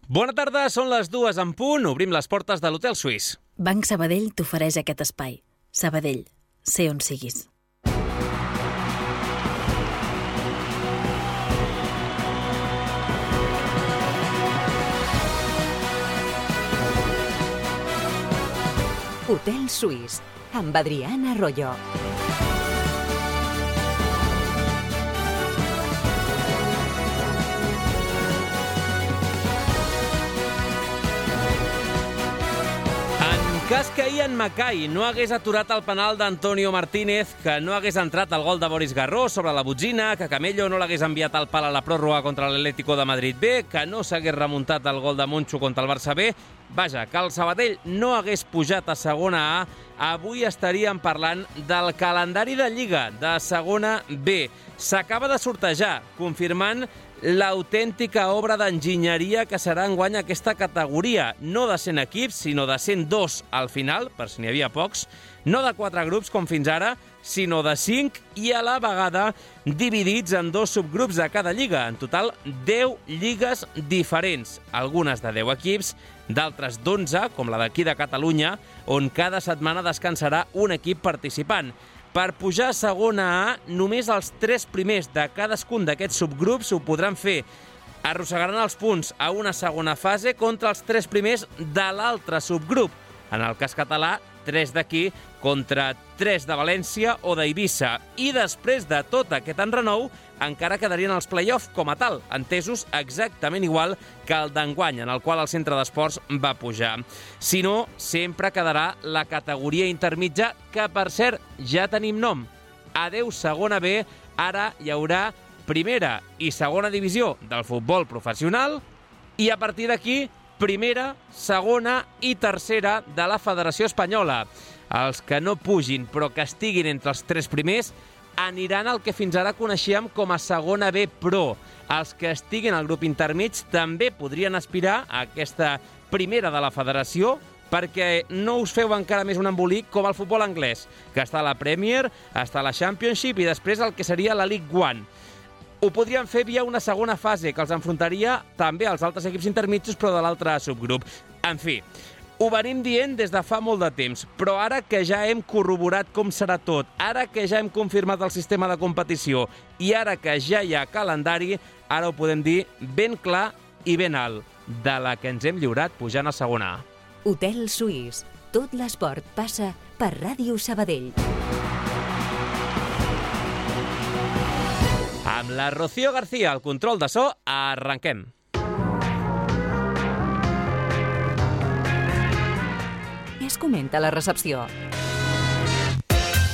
Bona tarda, són les 2 en punt. Obrim les portes de l'Hotel Suís. Banc Sabadell t'ofereix aquest espai. Sabadell, sé on siguis. Hotel Suís, amb Adriana Arroyo. En cas que Ian Mackay no hagués aturat el penal d'Antonio Martínez, que no hagués entrat el gol de Boris Garró sobre la botzina, que Camello no l'hagués enviat al pal a la pròrroga contra l'Atlético de Madrid B, que no s'hagués remuntat el gol de Moncho contra el Barça B, vaja, que el Sabadell no hagués pujat a segona A, avui estaríem parlant del calendari de Lliga de segona B. S'acaba de sortejar, confirmant l'autèntica obra d'enginyeria que serà enguany aquesta categoria, no de 100 equips, sinó de 102 al final, per si n'hi havia pocs, no de 4 grups com fins ara, sinó de 5 i a la vegada dividits en 2 subgrups de cada lliga. En total, 10 lligues diferents, algunes de 10 equips, d'altres d'11, com la d'aquí de Catalunya, on cada setmana descansarà un equip participant. Per pujar a segona A, només els 3 primers de cadascun d'aquests subgrups ho podran fer. Arrossegaran els punts a una segona fase contra els 3 primers de l'altre subgrup. En el cas català, 3 d'aquí contra 3 de València o d'Eivissa. I després de tot aquest enrenou, encara quedarien els play-off com a tal, entesos exactament igual que el d'enguany, en el qual el centre d'esports va pujar. Si no, sempre quedarà la categoria intermitja, que per cert ja tenim nom. Adeu segona B, ara hi haurà primera i segona divisió del futbol professional i a partir d'aquí primera, segona i tercera de la Federació Espanyola. Els que no pugin però que estiguin entre els 3 primers aniran al que fins ara coneixíem com a segona B Pro. Els que estiguin al grup intermig també podrien aspirar a aquesta primera de la federació, perquè no us feu encara més un embolic com el futbol anglès, que està a la Premier, està a la Championship i després el que seria la League One. Ho podrien fer via una segona fase, que els enfrontaria també als altres equips intermitjos, però de l'altre subgrup. En fi, ho venim dient des de fa molt de temps, però ara que ja hem corroborat com serà tot, ara que ja hem confirmat el sistema de competició i ara que ja hi ha calendari, ara ho podem dir ben clar i ben alt, de la que ens hem lliurat pujant a segona A. Hotel Suís, tot l'esport passa per Ràdio Sabadell. Amb la Rocío García, al control de so, arrenquem. Què es comenta a la recepció?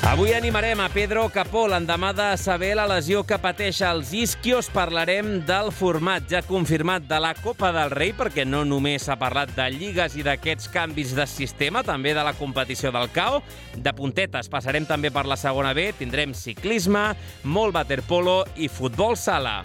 Avui animarem a Pedro Capó l'endemà de saber la lesió que pateix als isquios. Parlarem del format ja confirmat de la Copa del Rei, perquè no només s'ha parlat de lligues i d'aquests canvis de sistema, també de la competició del CAO. De puntetes passarem també per la segona B, tindrem ciclisme, molt waterpolo i futbol sala.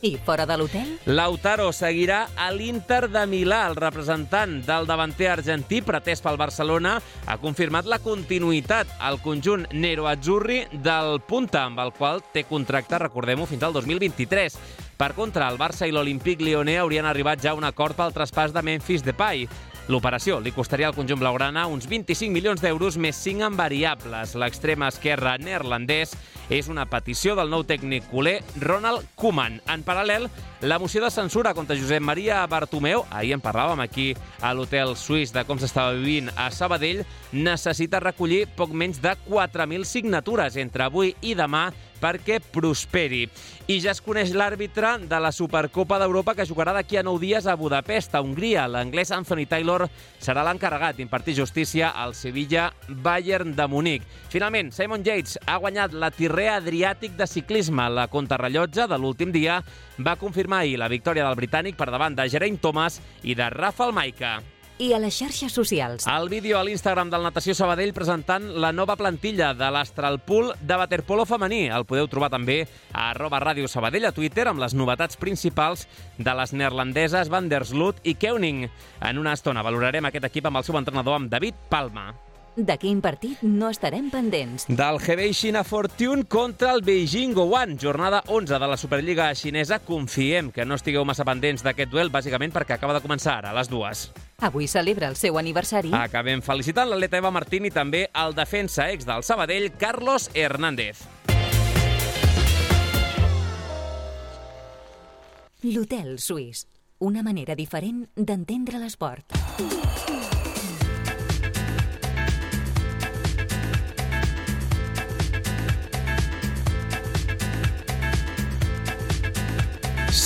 I fora de l'hotel? Lautaro seguirà a l'Inter de Milà. El representant del davanter argentí, pretès pel Barcelona, ha confirmat la continuïtat al conjunt nero-azzurri del Punta, amb el qual té contracte, recordem-ho, fins al 2023. Per contra, el Barça i l'Olympique Lyonnais haurien arribat ja a un acord pel traspàs de Memphis Depay. L'operació li costaria al conjunt blaugrana uns 25 milions d'euros més 5 en variables. L'extrem esquerre neerlandès és una petició del nou tècnic culer Ronald Koeman. En paral·lel, la moció de censura contra Josep Maria Bartomeu, ahir en parlàvem aquí a l'Hotel Suís de com s'estava vivint a Sabadell, necessita recollir poc menys de 4.000 signatures entre avui i demà perquè prosperi. I ja es coneix l'àrbitre de la Supercopa d'Europa que jugarà d'aquí a 9 dies a Budapest, a Hongria. L'anglès Anthony Taylor serà l'encarregat d'impartir justícia al Sevilla Bayern de Munic. Finalment, Simon Yates ha guanyat la Tirrea Adriàtic de ciclisme. La contrarrellotge de l'últim dia va confirmar ahir la victòria del britànic per davant de Geraint Thomas i de Rafał Majka. I a les xarxes socials? El vídeo a l'Instagram del Natació Sabadell presentant la nova plantilla de l'Astralpool de waterpolo femení. El podeu trobar també a @Ràdio Sabadell a Twitter amb les novetats principals de les neerlandeses Van der Sloot i Koenig. En una estona valorarem aquest equip amb el seu entrenador, amb David Palma. De quin partit no estarem pendents? Del Hebei China Fortune contra el Beijing Guoan, jornada 11 de la Superliga xinesa. Confiem que no estigueu massa pendents d'aquest duel, bàsicament perquè acaba de començar ara, a les 2. Avui celebra el seu aniversari. Acabem felicitant l'atleta Eva Martín i també el defensa ex del Sabadell, Carlos Hernández. L'Hotel Suís. Una manera diferent d'entendre l'esport.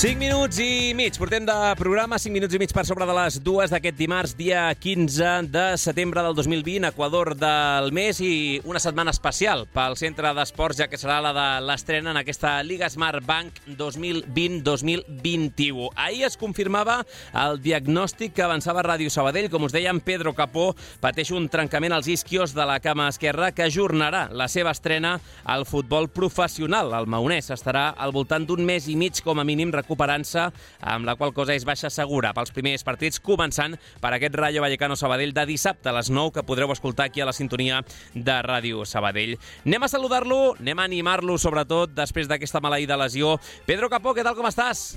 Cinc minuts i mig. Portem de programa 5 minuts i mig per sobre de les 2 d'aquest dimarts, dia 15 de setembre del 2020, Equador del mes, i una setmana especial pel Centre d'Esports, ja que serà la de l'estrena en aquesta Liga Smart Bank 2020-2021. Ahir es confirmava el diagnòstic que avançava Ràdio Sabadell. Com us dèiem, Pedro Capó pateix un trencament als isquios de la cama esquerra que ajornarà la seva estrena al futbol professional. El maonès estarà al voltant d'un mes i mig, com a mínim, recuperant-se, amb la qual cosa és baixa segura pels primers partits, començant per aquest Rayo Vallecano Sabadell de dissabte a les 9, que podreu escoltar aquí a la sintonia de Ràdio Sabadell. Anem a saludar-lo, anem a animar-lo, sobretot, després d'aquesta maleïda lesió. Pedro Capó, què tal, com estàs?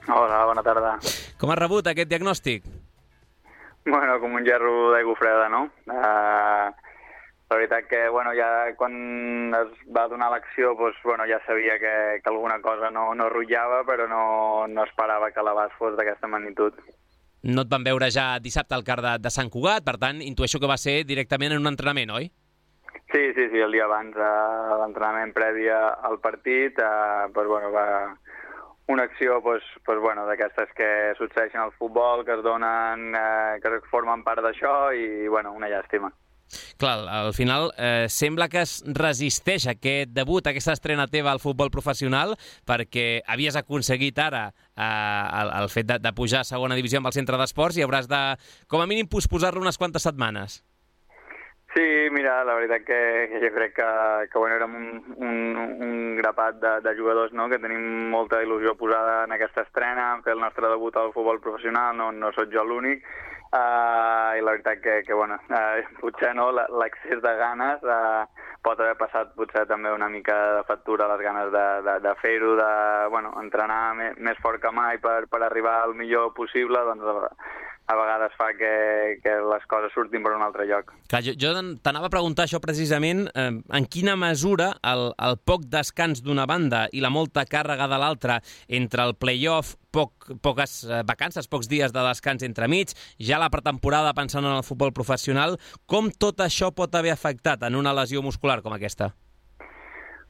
Hola, bona tarda. Com has rebut aquest diagnòstic? Bueno, com un gerro d'aigua freda, no? La veritat que, ja quan es va donar l'acció, ja sabia que alguna cosa no rotllava, però no esperava que l'abast fos d'aquesta magnitud. No et van veure ja dissabte al CAR de Sant Cugat, per tant, intueixo que va ser directament en un entrenament, oi? Sí, el dia abans, l'entrenament previ al partit, va una acció d'aquestes que succeeixen al futbol, que es donen, que formen part d'això, i una llàstima. Clar, al final sembla que es resisteix aquest debut, aquesta estrena teva al futbol professional, perquè havies aconseguit ara el fet de pujar a segona divisió amb el Centre d'Esports i hauràs de, com a mínim, posposar-lo unes quantes setmanes. Sí, mira, la veritat que jo crec que érem un grapat de jugadors, no?, que tenim molta il·lusió posada en aquesta estrena, en fer el nostre debut al futbol professional, no soc jo l'únic, i la veritat que potser no, l'excés de ganes pot haver passat potser també una mica de factura, les ganes de fer-ho, entrenar més fort que mai per arribar al millor possible, a vegades fa que les coses surtin per un altre lloc. Clar, jo t'anava a preguntar això precisament, en quina mesura el poc descans d'una banda i la molta càrrega de l'altra entre el play-off, poques vacances, pocs dies de descans entremig, ja la pretemporada pensant en el futbol professional, com tot això pot haver afectat en una lesió muscular com aquesta?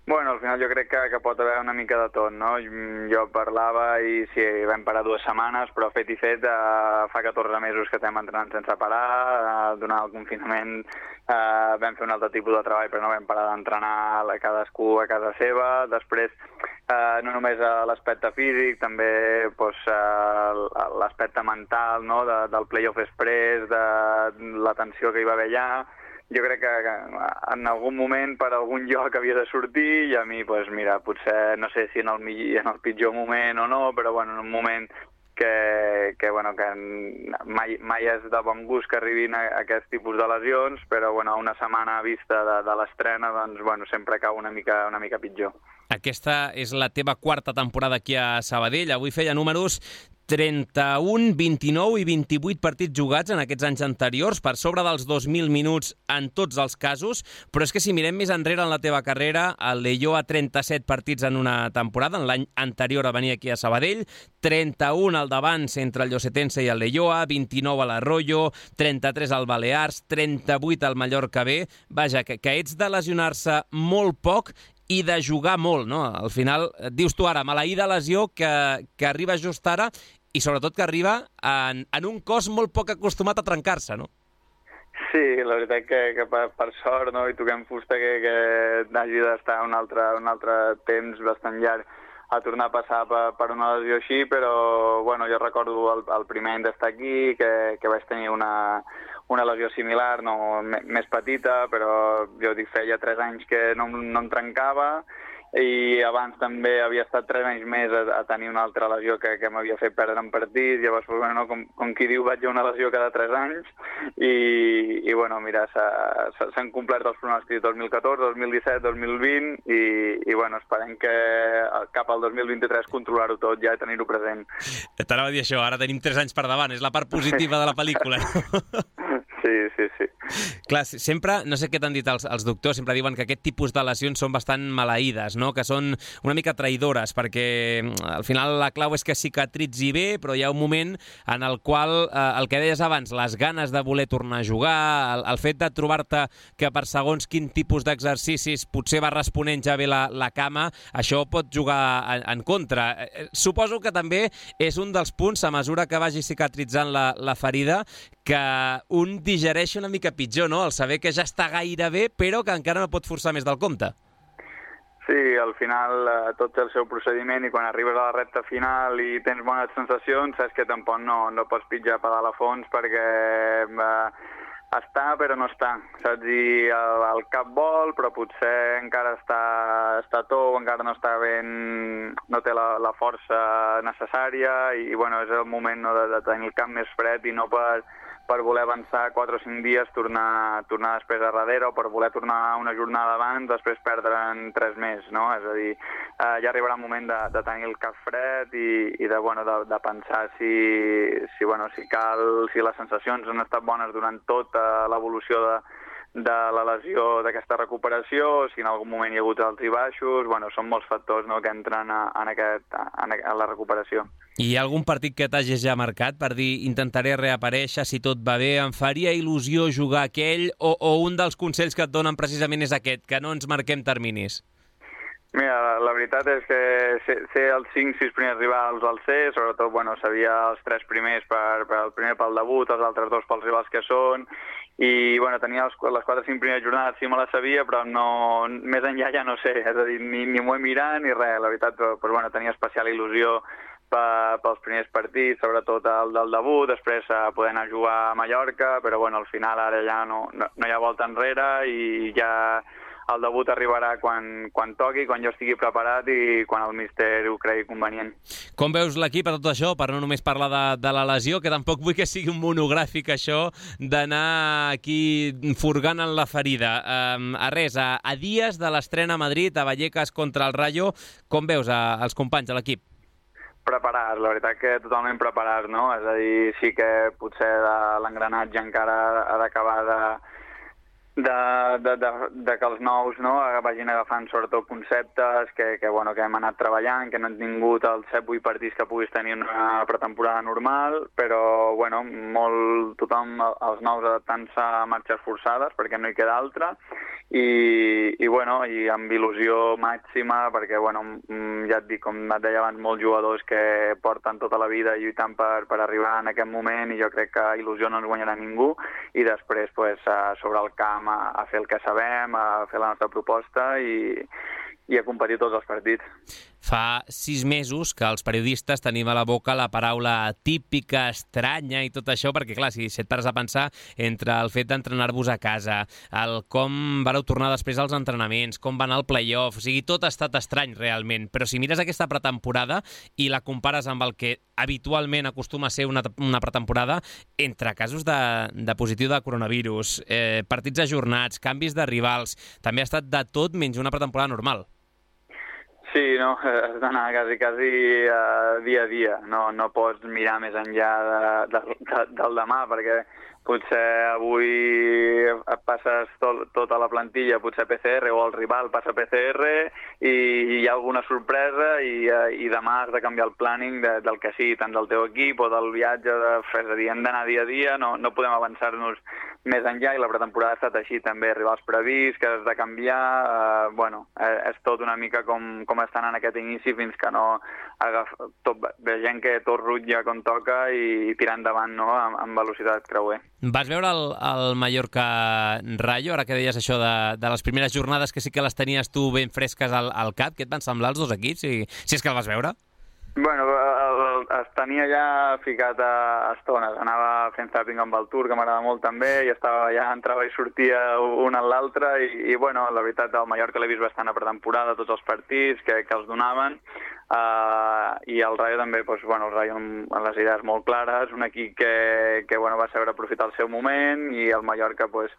Bueno, al final jo crec que pot haver una mica de tot, no? Jo parlava i sí, vam parar 2 setmanes, però fet i fet fa 14 mesos que estem entrenant sense parar, durant el confinament vam fer un altre tipus de treball, però no vam parar d'entrenar cadascú a casa seva. Després, no només l'aspecte físic, també l'aspecte mental, no?, del play-off express, de la tensió que hi va haver allà. Jo crec que en algun moment per algun lloc havia de sortir i a mi, potser, no sé si en el pitjor moment o no, però en un moment que mai és de bon gust que arribin a aquest tipus de lesions, però una setmana vista de l'estrena, sempre cau una mica pitjor. Aquesta és la teva quarta temporada aquí a Sabadell. Avui feia números 31, 29 i 28 partits jugats en aquests anys anteriors, per sobre dels 2.000 minuts en tots els casos, però és que si mirem més enrere en la teva carrera, el Leioa 37 partits en una temporada, en l'any anterior a venir aquí a Sabadell, 31 al d'abans entre el Llosetense i el Leioa, 29 a l'Arroyo, 33 al Balears, 38 al Mallorca B. Vaja, que ets de lesionar-se molt poc i de jugar molt, no? Al final, dius tu ara, maleïda lesió que arriba just ara i sobretot que arriba en un cos molt poc acostumat a trencar-se, no? Sí, la veritat que per sort, no?, i toquem fusta que hagi d'estar un altre temps bastant llarg a tornar a passar per una lesió així, però jo recordo el primer any d'estar aquí, que vaig tenir una lesió similar, no, més petita, però jo feia 3 anys que no em trencava, i abans també havia estat 3 anys més a tenir una altra lesió que m'havia fet perdre en partits, llavors, bueno, com qui diu, vaig a una lesió cada 3 anys, i bueno, mira, s'han complert els pronòstics 2014, 2017, 2020, i bueno, esperem que cap al 2023 controlar-ho tot ja i tenir-ho present. T'anava a dir això, ara tenim 3 anys per davant, és la part positiva de la pel·lícula. Sí. Clar, sempre, no sé què t'han dit els doctors, sempre diuen que aquest tipus de lesions són bastant maleïdes, no? Que són una mica traïdores, perquè al final la clau és que cicatritzi bé, però hi ha un moment en el qual, el que deies abans, les ganes de voler tornar a jugar, el fet de trobar-te que per segons quin tipus d'exercicis potser va responent ja bé la cama, això pot jugar en contra. Suposo que també és un dels punts, a mesura que vagi cicatritzant la ferida, que un digereix una mica pitjor, no? El saber que ja està gairebé, però que encara no pot forçar més del compte. Sí, al final tot té el seu procediment i quan arribes a la recta final i tens bones sensacions, saps que tampoc no pots pitjar pedal a fons perquè està però no està, saps? I el cap vol, però potser encara està tou, encara no està ben, no té la força necessària i bueno, és el moment, no, de tenir el cap més fred i no per voler avançar 4 o 5 dies, tornar després a darrere, o per voler tornar una jornada abans, després perdre'n 3 més, no? És a dir, ja arribarà el moment de tenir el cap fred i de pensar si les sensacions han estat bones durant tota l'evolució de la lesió, d'aquesta recuperació, si en algun moment hi ha hagut alts i baixos, bueno, són molts factors, no, que entren a la recuperació. Hi ha algun partit que t'hagis ja marcat per dir intentaré reaparèixer si tot va bé, em faria il·lusió jugar aquell, o un dels consells que et donen precisament és aquest, que no ens marquem terminis? Mira, la veritat és que ser els 5-6 primers rivals al ser, sobretot, bueno, sabia els 3 primers el primer pel debut, els altres 2 pels rivals que són, i bueno, tenia les 4-5 primeres jornades, sí me les sabia, però no, més enllà ja no sé, és a dir, ni m'ho he mirat ni res, la veritat, però bueno, tenia especial il·lusió pels primers partits, sobretot el del debut, després poder anar a jugar a Mallorca, però bueno, al final ara ja no hi ha volta enrere i ja el debut arribarà quan toqui, quan jo estigui preparat i quan el míster ho cregui convenient. Com veus l'equip a tot això, per no només parlar de la lesió, que tampoc vull que sigui un monogràfic això d'anar aquí furgant en la ferida. A dies de l'estrena a Madrid, a Vallecas contra el Rayo, com veus els companys de l'equip? Preparat, la veritat que totalment preparat, no? És a dir, sí que potser l'engranatge encara ha d'acabar de que els nous, no, vagin agafant sobretot conceptes que hem anat treballant, que no hem tingut els 7-8 partits que puguis tenir una pretemporada normal, però bueno, tothom, els nous adaptant-se a marxes forçades perquè no hi queda altra i amb il·lusió màxima perquè ja et dic, com et deia abans, molts jugadors que porten tota la vida lluitant per arribar en aquest moment i jo crec que il·lusió no ens guanyarà ningú i després sobre el camp a fer el que sabem, a fer la nostra proposta i a competir tots els partits. Fa 6 mesos que els periodistes tenim a la boca la paraula típica, estranya i tot això, perquè clar, si et pares a pensar entre el fet d'entrenar-vos a casa, el com vareu tornar després als entrenaments, com va anar el play-off, o sigui, tot ha estat estrany realment, però si mires aquesta pretemporada i la compares amb el que habitualment acostuma a ser una pretemporada, entre casos de positiu de coronavirus, partits ajornats, canvis de rivals, també ha estat de tot menys una pretemporada normal. Sí, no, has d'anar quasi dia a dia, no pots mirar més enllà del demà, perquè potser avui et passes tota la plantilla, potser PCR, o el rival passa PCR i hi ha alguna sorpresa i demà has de canviar el planning del que sigui, tant del teu equip o del viatge, és a dir, hem d'anar dia a dia, no podem avançar-nos més enllà i la pretemporada ha estat així també, rivals prevists, que has de canviar, és tot una mica com estan en aquest inici fins que no vegem que tot rutlla com toca i tirar endavant, no?, amb velocitat creuer. Vas veure el Mallorca-Rayo, ara que deies això de les primeres jornades que sí que les tenies tu ben fresques al cap, què et van semblar els dos equips, si és que el vas veure? Bueno, es tenia ja ficat a estones. Anava fent zapping amb el Tour, que m'agrada molt també, i estava ja entrava i sortia un en l'altre, i bueno, la veritat, el Mallorca l'he vist bastant a pretemporada, tots els partits que els donaven, i el Rayo també, doncs, bueno, el Rayo amb les idees molt clares, un equip que bueno, va saber aprofitar el seu moment, i el Mallorca, doncs,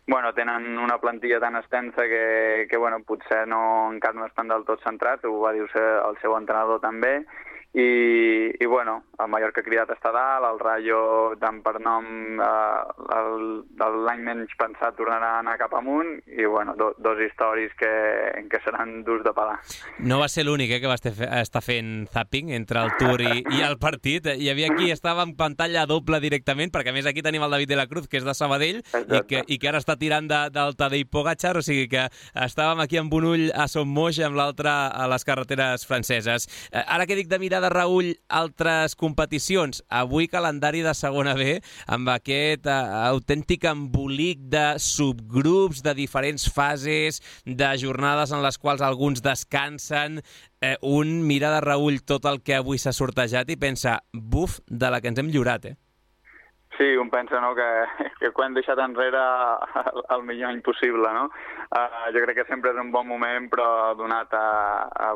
bueno, tenen una plantilla tan extensa que bueno, potser encara no estan del tot centrats, ho va dir el seu entrenador també, i bueno, el Mallorca cridat està dalt, el Rayo, tant per nom, l'any menys pensat tornarà a anar cap amunt, i bueno, dos històries que seran durs de pelar. No va ser l'únic que va estar fent zapping entre el Tour i el partit. Hi havia qui estava en pantalla doble directament, perquè a més aquí tenim el David de la Cruz, que és de Sabadell, i que ara està tirant del Tadej Pogačar, o sigui que estàvem aquí amb un ull a Son Moix i amb l'altre a les carreteres franceses. Ara que dic de mirar de reüll altres competicions, avui calendari de segona B amb aquest autèntic embolic de subgrups, de diferents fases, de jornades en les quals alguns descansen. Un mira de reüll tot el que avui s'ha sortejat i pensa, buf, de la que ens hem lliurat, Sí, un pensa, no?, que ho hem deixat enrere el millor any possible, no? Jo crec que sempre és un bon moment, però donat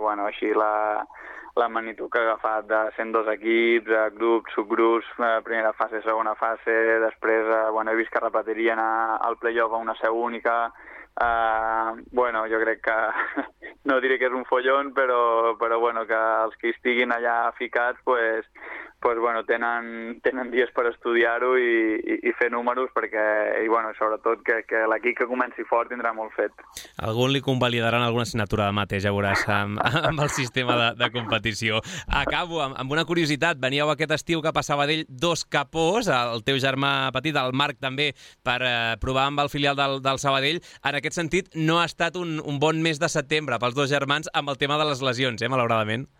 bueno, així la magnitud que ha agafat de 102 equips, grups, subgrups, primera fase, segona fase, després, bueno, he vist que repetirien al play-off a una seu única. Bueno, jo crec que no diré que és un follon, però bueno, que els que estiguin allà ficats, pues bueno, tenen dies per estudiar-ho i fer números, perquè, i bueno, sobretot que l'equip que comenci fort tindrà molt fet. Algun li convalidaran alguna assignatura de mates, ja veuràs, amb el sistema de competició. Acabo amb una curiositat. Veníeu aquest estiu cap a Sabadell 2 capós, el teu germà petit, el Marc també, per provar amb el filial del Sabadell. En aquest sentit, no ha estat un bon mes de setembre pels dos germans amb el tema de les lesions, malauradament.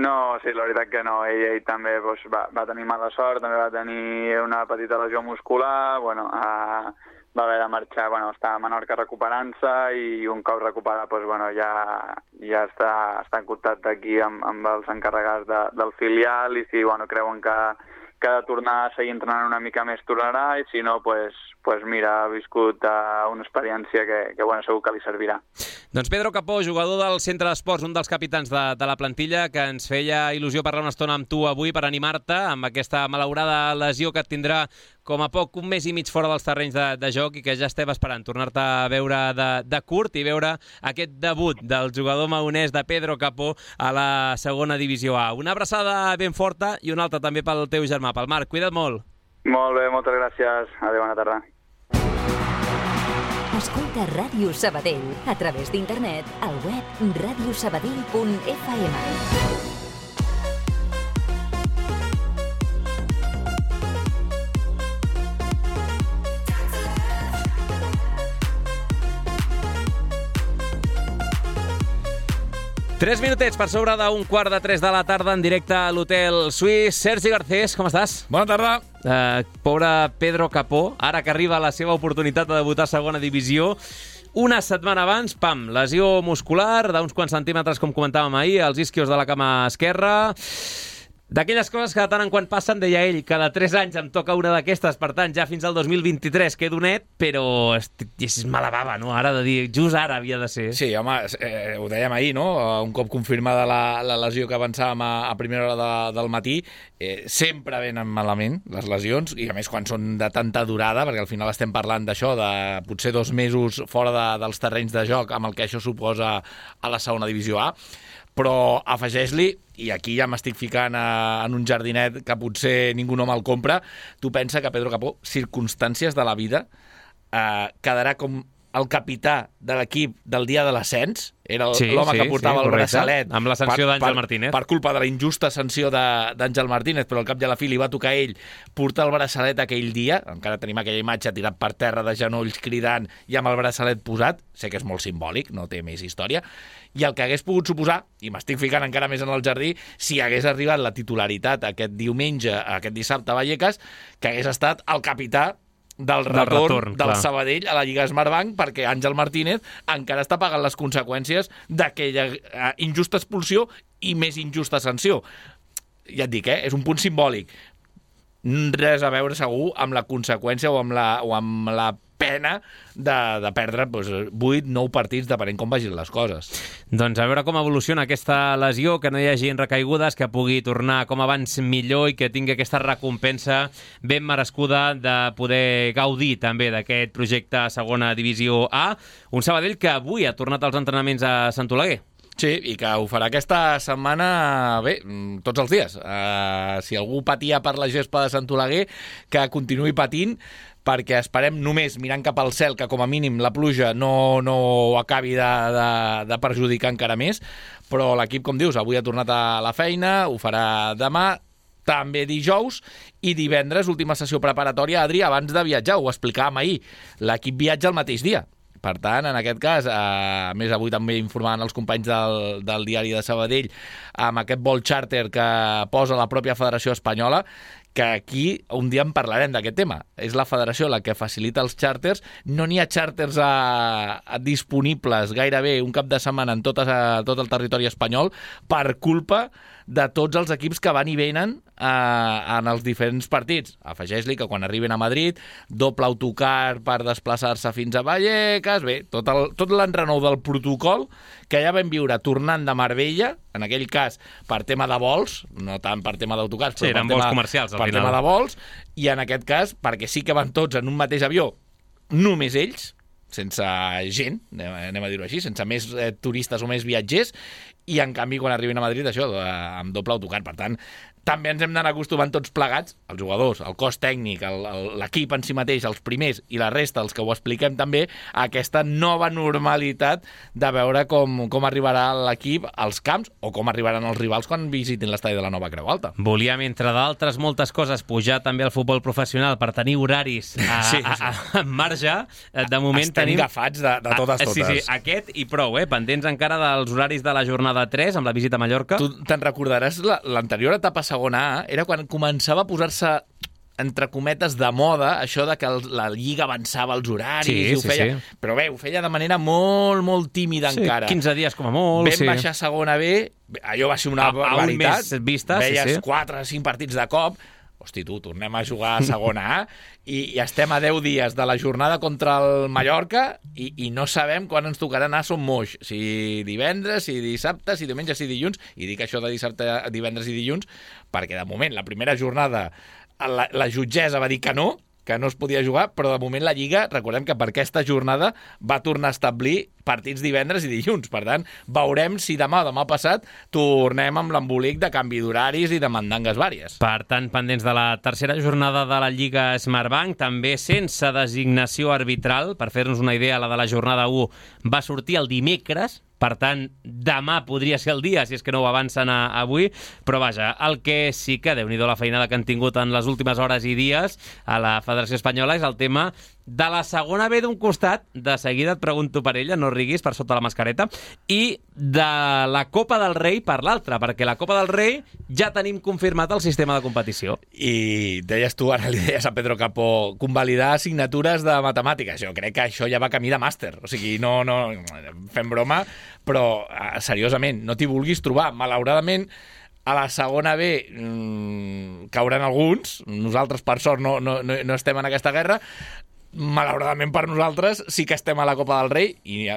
No, sí, la veritat que no. Ell també doncs, va tenir mala sort, també va tenir una petita lesió muscular, bueno, va haver de marxar, bueno, està a Menorca recuperant-se, i un cop recuperat, doncs, bueno, ja està en contacte aquí amb els encarregats del filial, i si bueno, creuen que ha de tornar a seguir entrenant una mica més, tornarà, i si no, pues mira, ha viscut una experiència que bueno, segur que li servirà. Doncs Pedro Capó, jugador del Centre d'Esports, un dels capitans de la plantilla, que ens feia il·lusió parlar una estona amb tu avui per animar-te amb aquesta malaurada lesió que et tindrà com a poc un mes i mig fora dels terrenys de joc, i que ja estem esperant tornar-te a veure de curt i veure aquest debut del jugador maonès de Pedro Capó a la segona divisió A. Una abraçada ben forta i una altra també pel teu germà, pel Marc. Cuida't molt. Molt bé, moltes gràcies. Adéu, bona tarda. Escolta Ràdio Sabadell a través d'internet al web radiosabadell.fm. 3 minutets per sobre d'un 2:45 de la tarda en directe a l'Hotel Suís. Sergi Garcés, com estàs? Bona tarda. Pobre Pedro Capó, ara que arriba la seva oportunitat de debutar a segona divisió, una setmana abans, pam, lesió muscular d'uns quants centímetres, com comentàvem ahir, als isquios de la cama esquerra. D'aquelles coses que de tant en quant passen, deia ell, cada 3 anys em toca una d'aquestes, per tant, ja fins al 2023 quedo net, però és mala bava, no? Ara de dir, just ara havia de ser. Sí, home, ho dèiem ahir, no? Un cop confirmada la lesió que avançàvem a primera hora del matí, sempre venen malament les lesions, i a més quan són de tanta durada, perquè al final estem parlant d'això, de potser 2 mesos fora dels terrenys de joc, amb el que això suposa a la segona divisió A. Però afegeix-li, i aquí ja m'estic ficant en un jardinet que potser ningú no me'l compra, tu pensa que Pedro Capó, circumstàncies de la vida, quedarà com el capità de l'equip del dia de l'ascens, era l'home que portava el braçalet amb la sanció d'Àngel Martínez. Per culpa de la injusta sanció d'Àngel Martínez, però al cap i a la fi li va tocar a ell portar el braçalet aquell dia. Encara tenim aquella imatge tirat per terra de genolls cridant i amb el braçalet posat. Sé que és molt simbòlic, no té més història. I el que hagués pogut suposar, i m'estic ficant encara més en el jardí, si hagués arribat la titularitat aquest diumenge, aquest dissabte a Vallecas, que hagués estat el capità del retorn del Sabadell a la Lliga Smartbank, perquè Àngel Martínez encara està pagant les conseqüències d'aquella injusta expulsió i més injusta sanció. ja et dic, és un punt simbòlic. Res a veure segur amb la conseqüència o amb la pena de perdre 8-9 partits, depenent com vagin les coses. Doncs a veure com evoluciona aquesta lesió, que no hi hagi recaigudes, que pugui tornar com abans millor i que tingui aquesta recompensa ben merescuda de poder gaudir també d'aquest projecte a segona divisió A. Un Sabadell que avui ha tornat als entrenaments a Sant Oleguer. Sí, i que ho farà aquesta setmana, bé, tots els dies. Si algú patia per la gespa de Sant Oleguer, que continuï patint, perquè esperem només mirant cap al cel que com a mínim la pluja no acabi de perjudicar encara més, però l'equip, com dius, avui ha tornat a la feina, ho farà demà, també dijous, i divendres, última sessió preparatòria, Adri, abans de viatjar, ho explicàvem ahir, l'equip viatja el mateix dia. Per tant, en aquest cas, a més avui també informaven els companys del diari de Sabadell amb aquest vol xàrter que posa la pròpia Federació Espanyola, que aquí un dia en parlarem d'aquest tema. És la federació la que facilita els xàrters. No n'hi ha xàrters disponibles gairebé un cap de setmana en tot el territori espanyol per culpa de tots els equips que van i venen en els diferents partits. Afegeix-li que quan arriben a Madrid, doble autocar per desplaçar-se fins a Vallecas, bé, tot l'enrenou del protocol que ja vam viure tornant de Marbella, en aquell cas per tema de vols, no tant per tema d'autocars, sí, però vols comercials, per tema de vols, i en aquest cas, perquè sí que van tots en un mateix avió, només ells, sense gent, anem a dir-ho així, sense més turistes o més viatgers, i en canvi quan arriben a Madrid això, amb doble autocar. Per tant, també ens hem d'anar acostumant tots plegats, els jugadors, el cos tècnic, l'equip en si mateix, els primers i la resta, els que ho expliquem també, a aquesta nova normalitat de veure com arribarà l'equip als camps o com arribaran els rivals quan visitin l'estadi de la Nova Creu Alta. Volíem, entre d'altres moltes coses, pujar també al futbol professional per tenir horaris en marge. De moment estem agafats de totes. Sí, aquest i prou, pendents encara dels horaris de la jornada 3 amb la visita a Mallorca. Tu te'n recordaràs l'anterior etapa segona A, era quan començava a posar-se entre cometes de moda, això de que la Lliga avançava els horaris, i ho feia, però bé, ho feia de manera molt, molt tímida encara. 15 dies com a molt. Vam baixar a segona B, allò va ser una barbaritat. Veies 4 o 5 partits de cop. Hosti, tornem a jugar a segona A i estem a 10 dies de la jornada contra el Mallorca i no sabem quan ens tocarà anar a Son Moix. Si divendres, si dissabte, si diumenge, si dilluns. I dic això de dissabte, divendres i dilluns perquè de moment la primera jornada la jutgessa va dir que no es podia jugar, però de moment la Lliga, recordem que per aquesta jornada va tornar a establir partits divendres i dilluns. Per tant, veurem si demà o demà passat tornem amb l'embolic de canvi d'horaris i de mandangues vàries. Per tant, pendents de la tercera jornada de la Lliga Smartbank, també sense designació arbitral. Per fer-nos una idea, la de la jornada 1 va sortir el dimecres. Per tant, demà podria ser el dia, si és que no ho avancen avui. Però vaja, el que sí que, Déu-n'hi-do la feinada que han tingut en les últimes hores i dies a la Federació Espanyola, és el tema de la segona B d'un costat, de seguida et pregunto per ella, no riguis per sota la mascareta, i de la Copa del Rei per l'altra, perquè la Copa del Rei ja tenim confirmat el sistema de competició. I deies tu, ara li deies a Pedro Capó, convalidar assignatures de matemàtiques. Jo crec que això ja va camí de màster, o sigui, no fem broma, però seriosament, no t'hi vulguis trobar. Malauradament, a la segona B cauran alguns, nosaltres per sort no estem en aquesta guerra. Malauradament per nosaltres sí que estem a la Copa del Rei i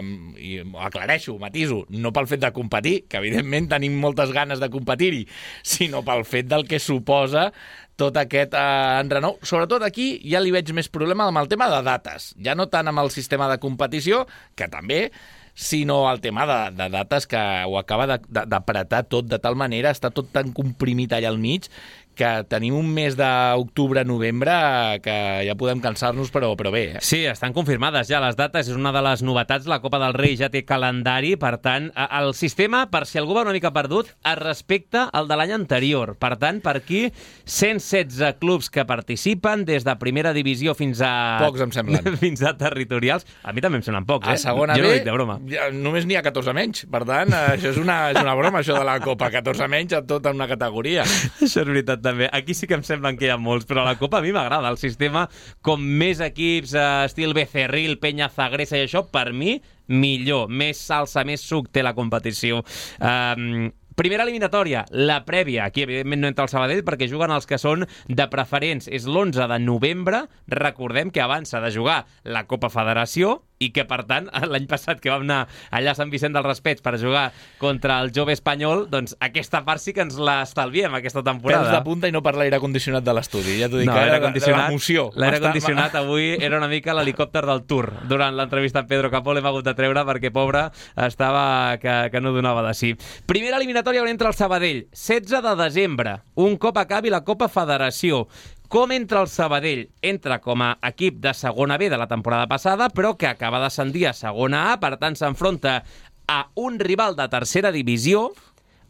aclareixo, matiso, no pel fet de competir, que evidentment tenim moltes ganes de competir-hi, sinó pel fet del que suposa tot aquest enrenou. Sobretot aquí ja li veig més problema amb el tema de dates, ja no tant amb el sistema de competició, que també, sinó el tema de dates que ho acaba d'apretar tot de tal manera, està tot tan comprimit allà al mig, que tenim un mes d'octubre-novembre que ja podem cansar-nos, però bé. Sí, estan confirmades ja les dates, és una de les novetats, la Copa del Rei ja té calendari, per tant, el sistema, per si algú va una mica perdut, es respecta al de l'any anterior. Per tant, per aquí, 116 clubs que participen, des de primera divisió fins a... Pocs, em semblen. Fins a territorials. A mi també em semblen pocs, A segona jo B, no dic de broma. Només n'hi ha 14 menys. Per tant, això és una broma, això de la Copa. 14 menys a tota una categoria. Això és veritat, també. Aquí sí que em semblen que hi ha molts, però a la Copa a mi m'agrada. El sistema, com més equips, estil Becerril, Peña Zagresa i això, per mi, millor. Més salsa, més suc té la competició. Primera eliminatòria, la prèvia. Aquí, evidentment, no entra el Sabadell perquè juguen els que són de preferents. És l'11 de novembre. Recordem que abans s'ha de jugar la Copa Federació i que, per tant, l'any passat que vam anar allà a Sant Vicent del Raspeig per jugar contra el jove espanyol, doncs aquesta part sí que ens l'estalviem aquesta temporada. Pèls de punta i no per l'aire condicionat de l'estudi. Ja t'ho dic, era l'emoció. L'aire condicionat avui era una mica l'helicòpter del Tour. Durant l'entrevista amb Pedro Capó l'hem hagut de treure perquè, pobre, estava que no donava de sí. Primera eliminatòria on entra el Sabadell, 16 de desembre, un cop acabi la Copa Federació. Com entra el Sabadell? Entra com a equip de segona B de la temporada passada, però que acaba d'ascendir a segona A, per tant s'enfronta a un rival de tercera divisió,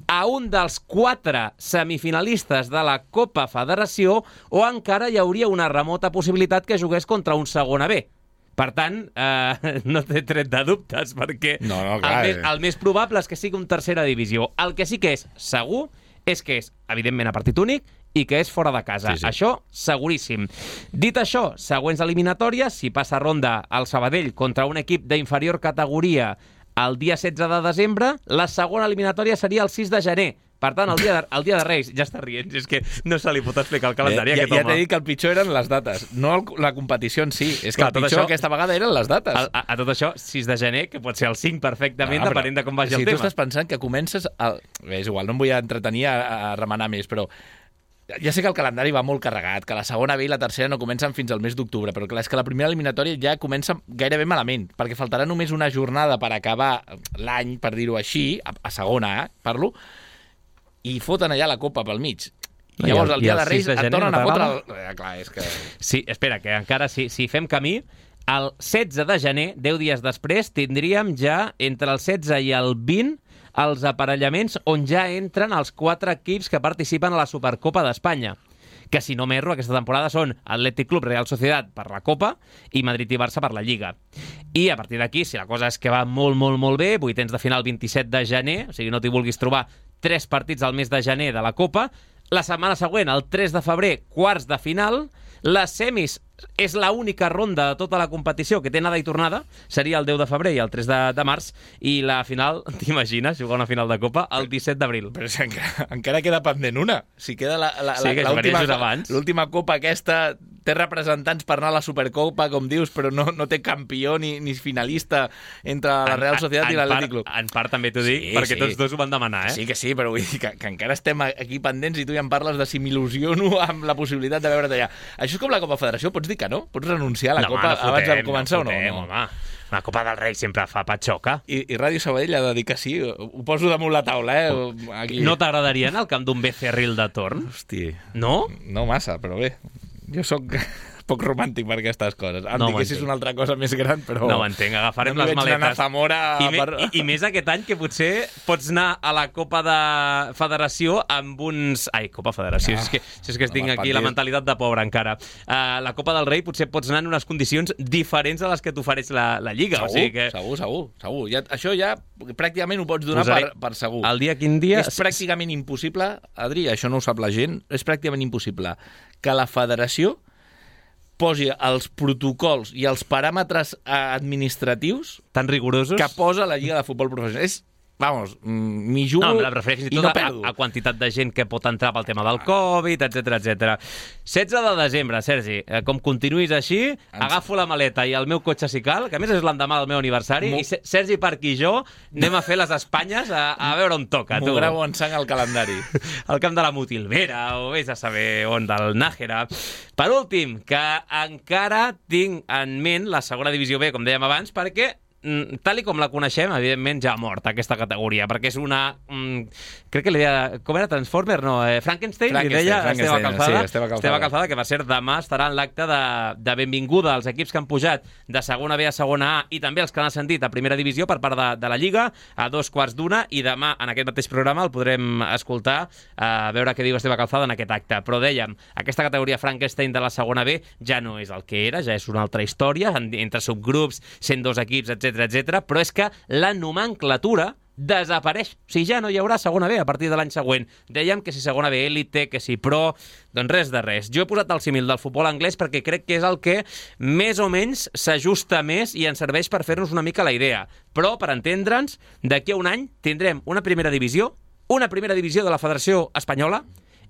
a un dels 4 semifinalistes de la Copa Federació, o encara hi hauria una remota possibilitat que jugués contra un segona B. Per tant, no té tret de dubtes, perquè el més probable és que sigui un tercera divisió. El que sí que és segur és que és, evidentment, a partit únic i que és fora de casa. Sí. Això, seguríssim. Dit això, següents eliminatòries, si passa ronda el Sabadell contra un equip d'inferior categoria el dia 16 de desembre, la segona eliminatòria seria el 6 de gener. Per tant, el dia de Reis, ja està rient, és que no se li pot explicar el calendari a aquest home. Ja t'he dit que el pitjor eren les dates, no la competició en si. És que el pitjor aquesta vegada eren les dates. A tot això, 6 de gener, que pot ser el 5 perfectament, depenent de com vagi el tema. Si tu estàs pensant que comences... És igual, no em vull entretenir a remenar més, però ja sé que el calendari va molt carregat, que la segona B i la tercera no comencen fins al mes d'octubre, però clar, és que la primera eliminatòria ja comença gairebé malament, perquè faltarà només una jornada per acabar l'any, per dir-ho així, a segona A, parlo, i foten allà la Copa pel mig. I llavors el dia de Reis et tornen a fotre... Clar, és que... Sí, espera, que encara si fem camí, el 16 de gener, 10 dies després, tindríem ja entre el 16 i el 20 els aparellaments on ja entren els 4 equips que participen a la Supercopa d'Espanya, que si no m'erro aquesta temporada són Atlètic Club, Real Sociedad per la Copa i Madrid i Barça per la Lliga. I a partir d'aquí, si la cosa és que va molt, molt, molt bé, vuitens de final 27 de gener, o sigui, no t'hi vulguis trobar 3 partits al mes de gener de la Copa, la setmana següent, el 3 de febrer, quarts de final, les semis és l'única ronda de tota la competició que té anada i tornada, seria el 10 de febrer i el 3 de març, i la final, t'imagines, jugar una final de Copa el 17 d'abril. Però encara queda pendent una. Si queda l'última Copa aquesta, té representants per anar a la Supercopa, com dius, però no té campió ni finalista entre la Real Societat i l'Atlètic Club. En part també t'ho dic, perquè tots dos ho van demanar, Sí que sí, però vull dir que encara estem aquí pendents i tu ja em parles de si m'il·lusiono amb la possibilitat de veure't allà. Això és com la Copa Federació, pots dir que no? Pots renunciar a la Copa abans de començar o no? Home. La Copa del Rei sempre fa patxoca. I Ràdio Sabadell ha de dir que sí. Ho poso damunt la taula, Aquí. No t'agradaria anar al camp d'un Becerril de torn? Hosti. No? No massa, però bé. Jo sóc poc romàntic per aquestes coses. Em diguessis una altra cosa més gran, però... No ho entenc, agafarem les maletes. I més aquest any, que potser pots anar a la Copa de Federació amb uns... Ai, Copa Federació, si és que tinc aquí la mentalitat de pobre encara. La Copa del Rei potser pots anar en unes condicions diferents a les que t'ofereix la Lliga. Segur. Això ja pràcticament ho pots donar per segur. El dia, quin dia... És pràcticament impossible, Adri, això no ho sap la gent, és pràcticament impossible que la Federació posi els protocols i els paràmetres administratius tan rigorosos que posa la Lliga de Futbol Professional. M'hi jugo i no perdo. A quantitat de gent que pot entrar pel tema del Covid, etc. 16 de desembre, Sergi, com continuïs així, agafo la maleta i el meu cotxe si cal, que a més és l'endemà del meu aniversari, i Sergi Parc i jo anem a fer les Espanyes a veure on toca. M'ho gravo en sang al calendari. Al camp de la Motilvera, o vés a saber on, del Nájera. Per últim, que encara tinc en ment la segona divisió B, com dèiem abans, perquè tal i com la coneixem, evidentment ja ha mort aquesta categoria, perquè és una... crec que li deia... Com era? Transformer? No, Frankenstein li deia Esteve Calzada. Sí, Esteve Calzada, que per cert demà estarà en l'acte de benvinguda als equips que han pujat de segona B a segona A i també els que han ascendit a primera divisió per part de la Lliga a 2:15, i demà en aquest mateix programa el podrem escoltar a veure què diu Esteve Calzada en aquest acte. Però dèiem, aquesta categoria Frankenstein de la segona B ja no és el que era, ja és una altra història, entre subgrups, 102 equips, etc, però és que la nomenclatura desapareix. O sigui, ja no hi haurà segona B a partir de l'any següent. Dèiem que si segona B élite, que si pro... Doncs res de res. Jo he posat el símil del futbol anglès perquè crec que és el que més o menys s'ajusta més i ens serveix per fer-nos una mica la idea. Però, per entendre'ns, d'aquí a un any tindrem una primera divisió una primera divisió de la Federació Espanyola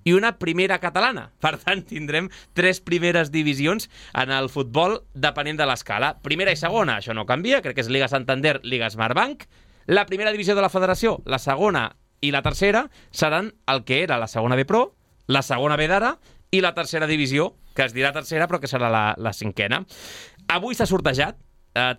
i una primera catalana. Per tant, tindrem 3 primeres divisions en el futbol depenent de l'escala. Primera i segona, això no canvia, crec que és Liga Santander, Liga Smartbank. La primera divisió de la Federació, la segona i la tercera, seran el que era la segona B Pro, la segona B d'ara i la tercera divisió, que es dirà tercera però que serà la cinquena. Avui s'ha sortejat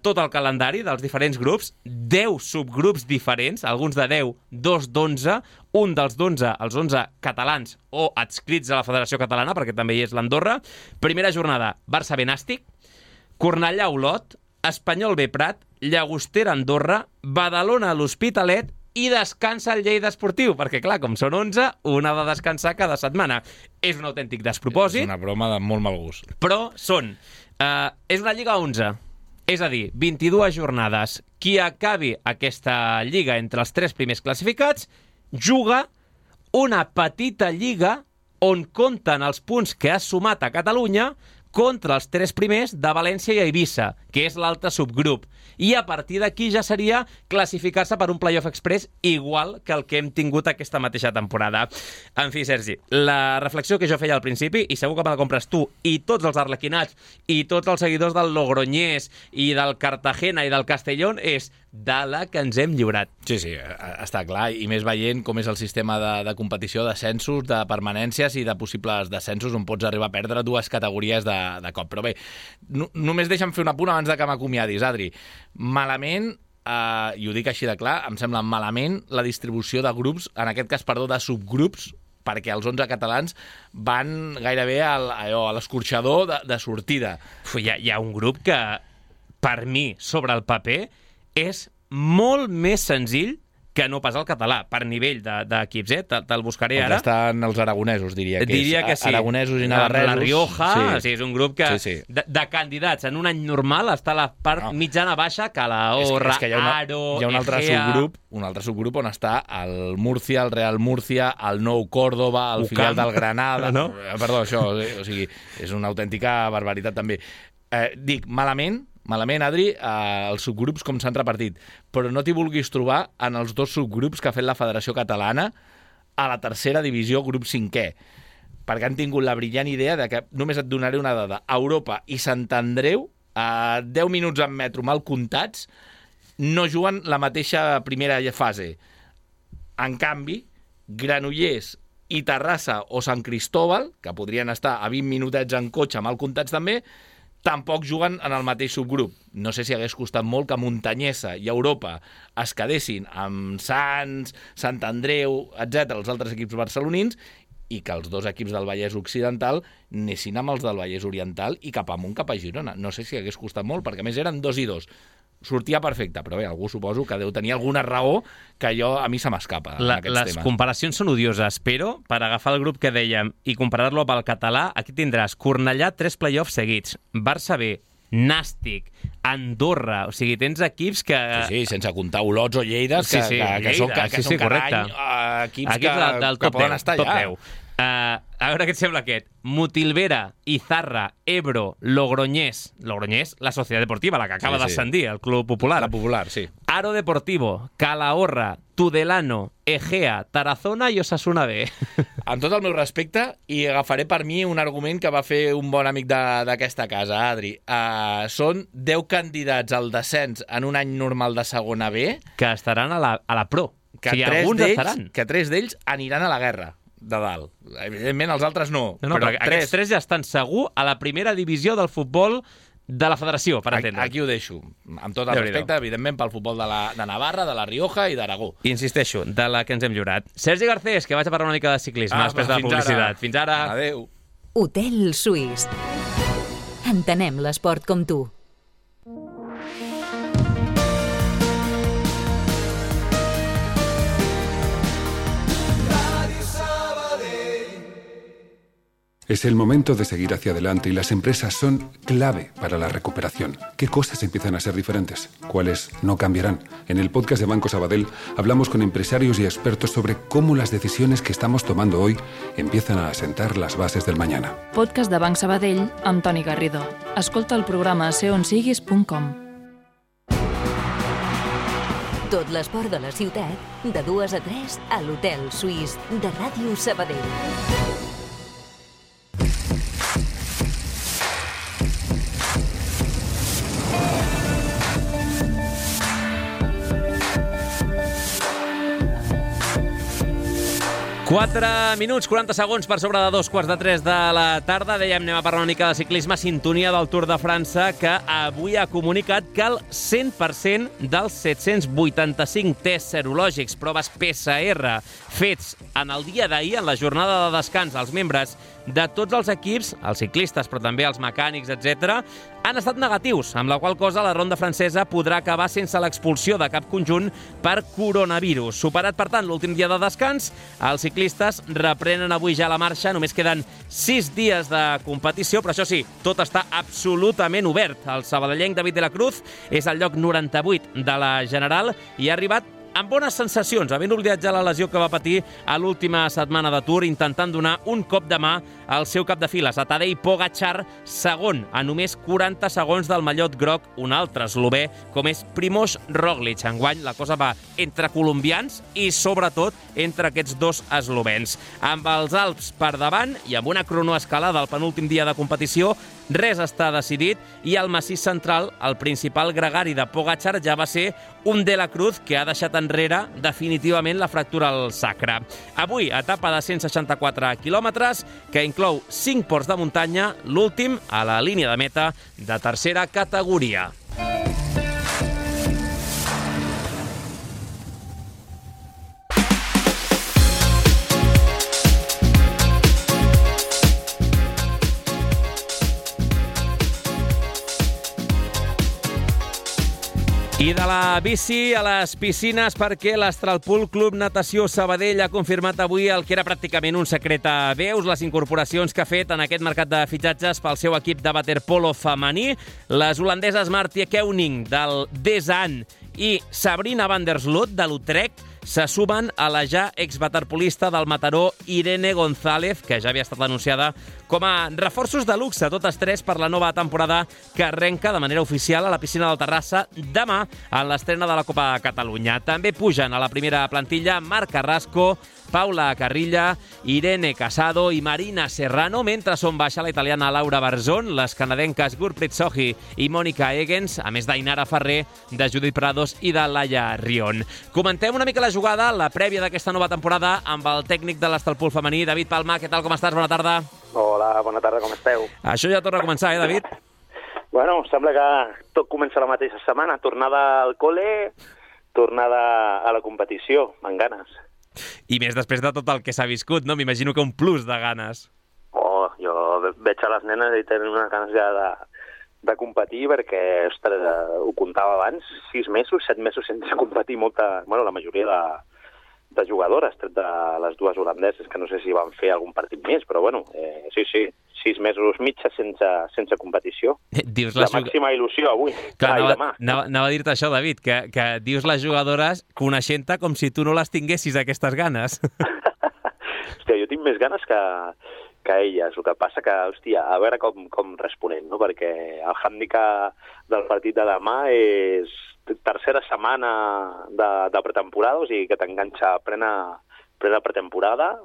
tot el calendari dels diferents grups, 10 subgrups diferents, alguns de 10, 2 d'11, un dels d'11, els 11 catalans o adscrits a la Federació Catalana, perquè també hi és l'Andorra. Primera jornada, Barça B Nàstic, Cornellà Olot, Espanyol B Prat, Llagostera Andorra, Badalona l'Hospitalet i descansa el Lleida Esportiu, perquè clar, com són 11, un ha de descansar cada setmana. És un autèntic despropòsit. És una broma de molt mal gust. Però són... és una lliga 11, és a dir, 22 jornades. Qui acabi aquesta lliga entre els 3 primers classificats juga una petita lliga on compten els punts que ha sumat a Catalunya contra els 3 primers de València i Eivissa, que és l'altre subgrup. I a partir d'aquí ja seria classificar-se per un playoff express igual que el que hem tingut aquesta mateixa temporada. En fi, Sergi, la reflexió que jo feia al principi, i segur que me la compres tu, i tots els arlequinats, i tots els seguidors del Logroñés, i del Cartagena i del Castellón, és de la que ens hem lliurat. Sí, està clar, i més veient com és el sistema de competició, d'ascensos, de permanències i de possibles descensos on pots arribar a perdre 2 categories de cop. Però bé, només deixa'm fer un apunt abans de que m'acomiadis, Adri. Malament, i ho dic així de clar, em sembla malament la distribució de grups, en aquest cas, de subgrups, perquè els 11 catalans van gairebé a l'escorxador de sortida. Hi ha un grup que, per mi, sobre el paper, és molt més senzill que no pas el català, per nivell d'equips, te'l buscaré ara. Estan els aragonesos, diria que és. Sí. Aragonesos i navarresos. La Rioja, sí, és un grup que sí. De candidats en un any normal està a la part mitjana-baixa, Calahorra, és que hi ha un altre subgrup on està el Múrcia, el Real Múrcia, el Nou Córdoba, el filial del Granada... No? Perdó, això, o sigui, és una autèntica barbaritat també. Dic, malament, Adri, els subgrups com s'han repartit, però no t'hi vulguis trobar en els 2 subgrups que ha fet la Federació Catalana a la tercera divisió, grup 5è, perquè han tingut la brillant idea de que, només et donaré una dada, Europa i Sant Andreu, a 10 minuts en metro mal comptats, no juguen la mateixa primera fase. En canvi, Granollers i Terrassa o Sant Cristóbal, que podrien estar a 20 minutets en cotxe mal comptats també, tampoc juguen en el mateix subgrup. No sé si hagués costat molt que Montanyesa i Europa es quedessin amb Sants, Sant Andreu, etc., els altres equips barcelonins, i que els 2 equips del Vallès Occidental anessin amb els del Vallès Oriental i cap amunt, cap a Girona. No sé si hagués costat molt, perquè a més eren 2 i 2. Sortia perfecte, però bé, algú suposo que deu tenir alguna raó que a mi se m'escapa en aquests temes. Les comparacions són odioses, però per agafar el grup que dèiem i comparar-lo amb el català, aquí tindràs Cornellà 3 play-offs seguits, Barça B, Nàstic, Andorra, o sigui, tens equips que... Sí, sense comptar Olots o Lleides, que són cada any equips que poden estar allà. A veure què et sembla aquest. Mutilvera, Izarra, Ebro, Logroñés, la Societat Deportiva, la que acaba d'ascendir, el Club Popular. La Popular, sí. Aro Deportivo, Calahorra, Tudelano, Egea, Tarazona i Osasuna B. Amb tot el meu respecte, i agafaré per mi un argument que va fer un bon amic d'aquesta casa, Adri. Són 10 candidats al descens en un any normal de segona B que estaran a la Pro. Que 3 d'ells aniran a la guerra de dalt. Evidentment, els altres no. Però aquests 3 ja estan segur a la primera divisió del futbol de la federació, per entendre. Aquí ho deixo. Amb tot el respecte, evidentment, pel futbol de Navarra, de la Rioja i d'Aragó. I insisteixo, de la que ens hem lliurat. Sergi Garcés, que vaig a parlar una mica de ciclisme després de la publicitat. Fins ara. Adéu. Hotel Suís. Entenem l'esport com tu. Es el momento de seguir hacia adelante y las empresas son clave para la recuperación. ¿Qué cosas empiezan a ser diferentes? ¿Cuáles no cambiarán? En el podcast de Banco Sabadell hablamos con empresarios y expertos sobre cómo las decisiones que estamos tomando hoy empiezan a asentar las bases del mañana. Podcast de Banc Sabadell amb Toni Garrido. Escolta el programa seonsiguis.com. Tot l'esport de la ciutat, de 2 a 3 a l'Hotel Suís de Ràdio Sabadell. Quatre minuts, 40 segons per sobre de 2:15 de la tarda. Dèiem, anem a parlar una mica de ciclisme. Sintonia del Tour de França, que avui ha comunicat que el 100% dels 785 tests serològics, proves PCR, fets en el dia d'ahir, en la jornada de descans, als membres de tots els equips, els ciclistes, però també els mecànics, etc., han estat negatius, amb la qual cosa la ronda francesa podrà acabar sense l'expulsió de cap conjunt per coronavirus. Superat, per tant, l'últim dia de descans, els ciclistes reprenen avui ja la marxa. Només queden 6 dies de competició, però això sí, tot està absolutament obert. El sabadellenc David de la Cruz és al lloc 98 de la general i ha arribat amb bones sensacions, havent oblidat ja la lesió que va patir a l'última setmana de Tour, intentant donar un cop de mà al seu cap de files, a Tadej Pogačar, segon, a només 40 segons del mallot groc, un altre eslové, com és Primož Roglič. Enguany la cosa va entre colombians i, sobretot, entre aquests dos eslovens. Amb els Alps per davant i amb una cronoescalada al penúltim dia de competició, res està decidit i al massís central, el principal gregari de Pogačar ja va ser un de la Cruz que ha deixat enrere definitivament la fractura al sacre. Avui, etapa de 164 quilòmetres que inclou 5 ports de muntanya, l'últim a la línia de meta de tercera categoria. I de la bici a les piscines, perquè l'Astralpool Club Natació Sabadell ha confirmat avui el que era pràcticament un secret a veus, les incorporacions que ha fet en aquest mercat de fitxatges pel seu equip de waterpolo femení. Les holandeses Martje Koning del Desan i Sabrina van der Sloot de l'Utrecht se sumen a la ja exwaterpolista del Mataró Irene González, que ja havia estat anunciada com a reforços de luxe, totes tres per la nova temporada que arrenca de manera oficial a la piscina del Terrassa demà en l'estrena de la Copa de Catalunya. També pugen a la primera plantilla Marc Carrasco, Paula Carrilla, Irene Casado i Marina Serrano, mentre són baixa la italiana Laura Barzón, les canadenques Gurpreet Sohi i Mònica Egens, a més d'Ainara Ferrer, de Judit Prados i de Laia Rion. Comentem una mica la jugada, la prèvia d'aquesta nova temporada, amb el tècnic de l'Astralpool femení, David Palma. Què tal, com estàs? Bona tarda. Hola, bona tarda, com esteu? Això ja torna a començar, David? Bueno, sembla que tot comença la mateixa setmana. Tornada al col·le, tornada a la competició, amb ganes. I més després de tot el que s'ha viscut, no? M'imagino que un plus de ganes. Oh, jo veig a les nenes i tenen unes ganes ja de competir perquè, ostres, ho comptava abans, 6 mesos, 7 mesos sense competir la majoria de jugadores, tret de les dues holandeses, que no sé si van fer algun partit més, però bueno, sí, 6 mesos mitja sense competició. La màxima il·lusió avui. Clar, anava a dir-te això, David, que dius les jugadores coneixent-te com si tu no les tinguessis, aquestes ganes. Hòstia, jo tinc més ganes que elles. El que passa que, hòstia, a veure com responem, no? Perquè el hàndicap del partit de demà és tercera setmana de pretemporada, o sigui que t'enganxa plena pretemporada.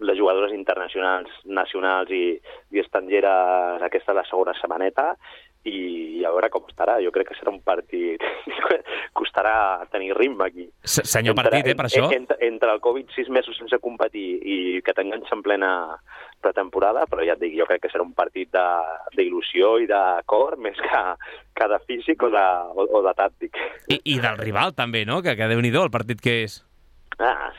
Les jugadores internacionals, nacionals i estrangeres, aquesta és la segona setmaneta, i a veure com estarà. Jo crec que serà un partit costarà tenir ritme aquí. Senyor partit, per això? Entre el Covid, 6 mesos sense competir i que t'enganxa en plena pretemporada, però ja et dic, jo crec que serà un partit d'il·lusió i de cor, més que de físic o de tàctic. I del rival també, no? Que Déu-n'hi-do el partit que és.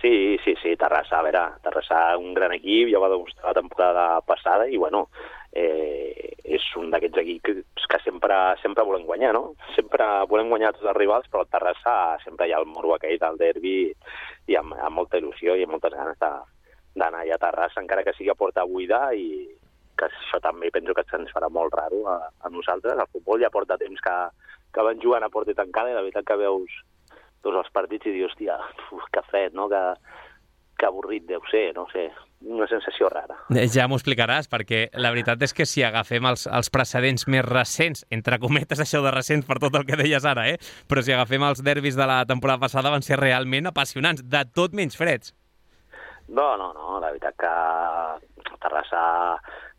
Sí, Terrassa, a veure, Terrassa un gran equip, ja va demostrar la temporada passada i, bueno, és un d'aquests equips que sempre volem guanyar, no? Sempre volem guanyar tots els rivals, però el Terrassa sempre hi ha el morbo aquell del derbi i amb molta il·lusió i amb moltes ganes d'anar allà a Terrassa, encara que sigui a porta buida, i que això també penso que se'ns farà molt raro a nosaltres. El futbol ja porta temps que van jugant a porta tancada i la veritat que veus tots els partits i dius, hòstia, que fred, no? Que avorrit deu ser, no sé. una sensació rara. Ja m'ho explicaràs, perquè la veritat és que si agafem els precedents més recents, entre cometes això de recents per tot el que deies ara, però si agafem els derbis de la temporada passada van ser realment apassionants, de tot menys freds. No, la veritat que Terrassa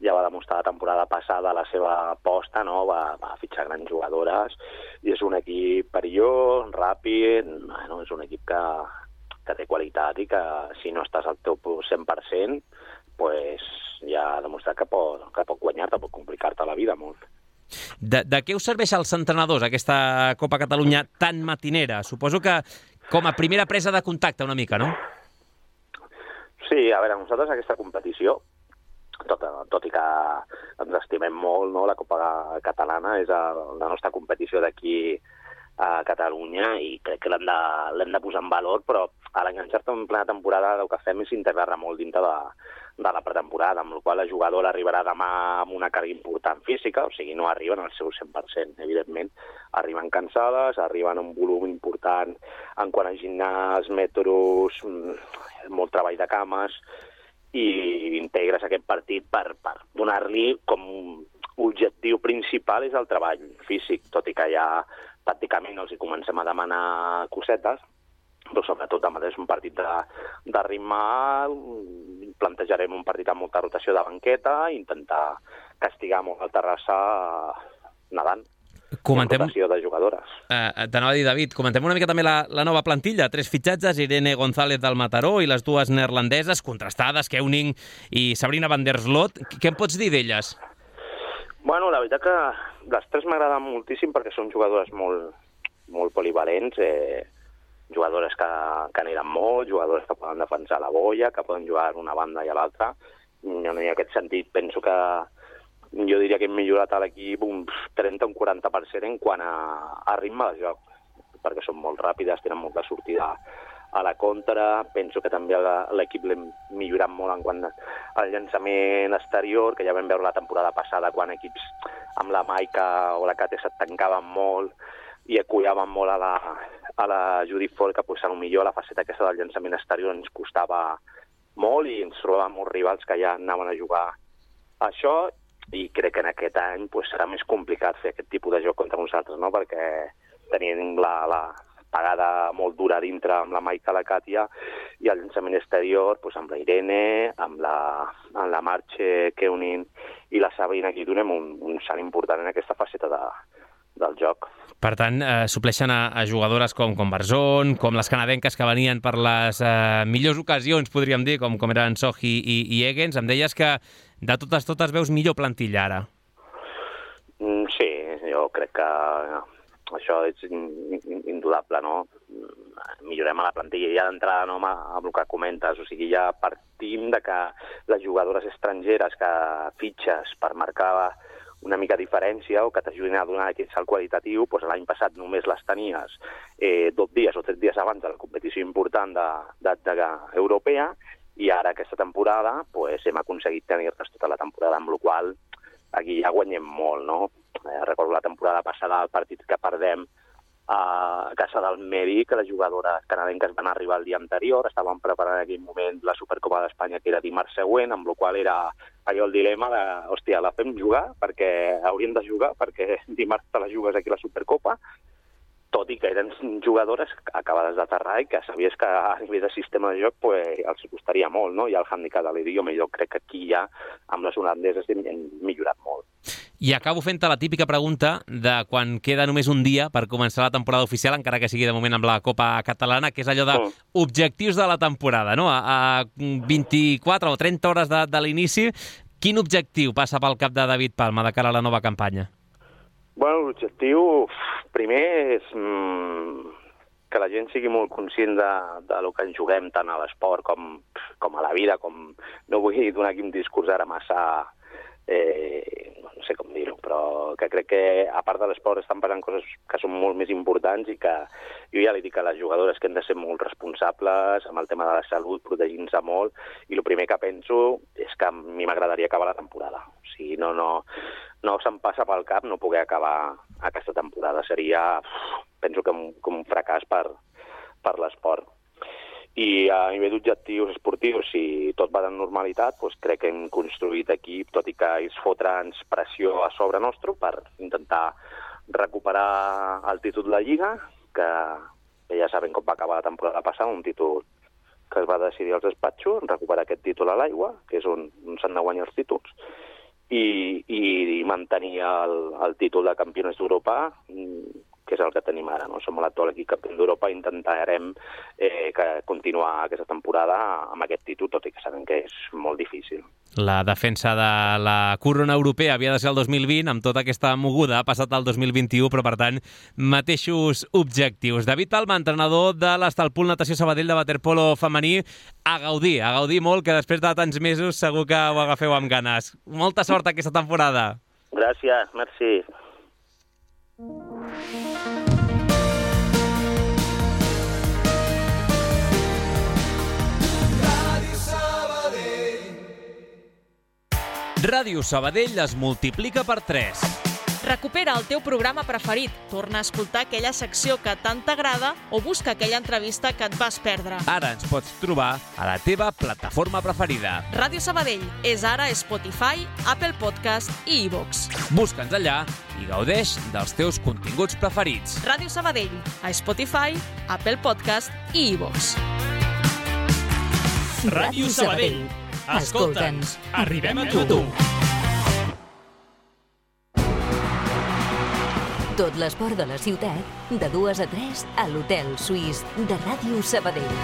ja va demostrar la temporada passada la seva aposta, no? Va fitxar grans jugadores i és un equip perillós, ràpid, bueno, és un equip que té qualitat i que si no estàs al teu 100%, pues ja ha demostrat que pot guanyar-te, pot complicar-te la vida molt. De què us serveix als entrenadors aquesta Copa Catalunya tan matinera? Suposo que com a primera presa de contacte una mica, no? Sí, a veure, nosaltres aquesta competició, tot i que ens estimem molt, no? La Copa Catalana és la nostra competició d'aquí a Catalunya i crec que l'hem de posar en valor, però a l'enganxar-te en plena temporada el que fem és integrar-la molt dintre de la pretemporada, amb la qual la jugadora arribarà demà amb una càrrega important física, o sigui, no arriben al seu 100%, evidentment. Arriben cansades, arriben amb un volum important en quant a gimnàs, metros, molt treball de cames, i integres aquest partit per donar-li com objectiu principal és el treball físic, tot i que ja pràcticament els hi comencem a demanar cosetes, però sobretot demà és un partit de ritme alt, plantejarem un partit amb molta rotació de banqueta i intentar castigar molt el Terrassa nedant. Rotació de jugadores. T'anava a dir, David, comentem una mica també la nova plantilla. 3 fitxatges, Irene González del Mataró i les 2 neerlandeses, contrastades, Keuning i Sabrina van der Sloot. Què em pots dir d'elles? Bueno, la veritat que les 3 m'agraden moltíssim perquè són jugadores molt polivalents, jugadores que aniran molt, jugadores que poden defensar la boia, que poden jugar d'una banda i a l'altra. En aquest sentit penso que jo diria que hem millorat a l'equip un 30 o un 40% en quant a ritme de joc, perquè són molt ràpides, tenen molta sortida a la contra. Penso que també l'equip l'hem millorat molt en quant al llançament exterior, que ja vam veure la temporada passada quan equips amb la Maica o la Cate se't tancaven molt i acullaven molt a la Judith Ford, que potser millor la faceta aquesta del llançament exterior ens costava molt i ens trobàvem molts rivals que ja anaven a jugar això, i crec que en aquest any serà més complicat fer aquest tipus de joc contra nosaltres, no? Perquè tenim la pagada molt dura dintre amb la Maica, la Càtia, i el llançament exterior amb la Irene, amb la Marche, Keuning i la Sabrina, aquí donem un salt important en aquesta faceta del joc. Per tant, supleixen a jugadores com Barzón, com les canadenques que venien per les millors ocasions, podríem dir, com eren Sohi i Egens. Em deies que de totes veus millor plantilla ara. Sí, jo crec que això és indudable, no? Millorem a la plantilla i ja d'entrada, no, amb el que comentes, o sigui, ja partim de que les jugadores estrangeres que fitxes per marcar una mica diferència o que t'ajudin a donar aquest salt qualitatiu, l'any passat només les tenies 2 dies o 3 dies abans de la competició important europea, i ara aquesta temporada hem aconseguit tenir-les tota la temporada, amb la qual aquí ja guanyem molt, no? Recordo la temporada passada, el partit que perdem a casa del Medi, que les jugadores canadenques van arribar el dia anterior, estaven preparant en aquell moment la Supercopa d'Espanya, que era dimarts següent, amb la qual era allò el dilema de, hòstia, la fem jugar, perquè hauríem de jugar, perquè dimarts te la jugues aquí a la Supercopa, tot i que eren jugadores acabades d'aterrar i que sabies que a nivell de sistema de joc els costaria molt, no? I el handicap de l'idioma, jo crec que aquí ja amb les holandeses hem millorat molt. I acabo fent-te la típica pregunta de quan queda només un dia per començar la temporada oficial, encara que sigui de moment amb la Copa Catalana, que és allò d'objectius de la temporada, no? A 24 o 30 hores de l'inici, quin objectiu passa pel cap de David Palma de cara a la nova campanya? Bueno, l'objectiu primer és que la gent sigui molt conscient de lo que ens juguem tant a l'esport com a la vida, no vull donar aquí un discurs ara massa, no sé com dir-ho, però que crec que a part de l'esport estan passant coses que són molt més importants i que jo ja li dic a les jugadores que hem de ser molt responsables amb el tema de la salut, protegint-se molt, i el primer que penso és que a mi m'agradaria acabar la temporada. O sigui, no se'm passa pel cap no poder acabar aquesta temporada. Seria, penso que un fracàs per l'esport. I a nivell d'objectius esportius, si tot va de normalitat, doncs crec que hem construït equip, tot i que ells fotran pressió a sobre nostre per intentar recuperar el títol de Lliga, que ja saben com va acabar la temporada passada, un títol que es va decidir als despatxos, recuperar aquest títol a l'aigua, que és on s'han de guanyar els títols, i mantenir el títol de campionats d'Europa, que és el que tenim ara, no? Som l'actual equip campió d'Europa i intentarem continuar aquesta temporada amb aquest títol, tot i que sabem que és molt difícil. La defensa de la corona europea havia de ser el 2020, amb tota aquesta moguda ha passat al 2021, però per tant, mateixos objectius. David Palma, entrenador de l'Estalpul Natació Sabadell de waterpolo femení, a gaudir molt, que després de tants mesos segur que ho agafeu amb ganes. Molta sort aquesta temporada. Gràcies, merci. Ràdio Sabadell es multiplica per 3. Recupera el teu programa preferit, torna a escoltar aquella secció que tant t'agrada o busca aquella entrevista que et vas perdre. Ara ens pots trobar a la teva plataforma preferida. Ràdio Sabadell és ara Spotify, Apple Podcast i iVoox. Busca'ns allà i gaudeix dels teus continguts preferits. Ràdio Sabadell, a Spotify, Apple Podcast i iVoox. Ràdio Sabadell. Escolta'ns, arribem a tu. Tot l'esport de la ciutat, de 2 a 3 a l'Hotel Suís de Ràdio Sabadell.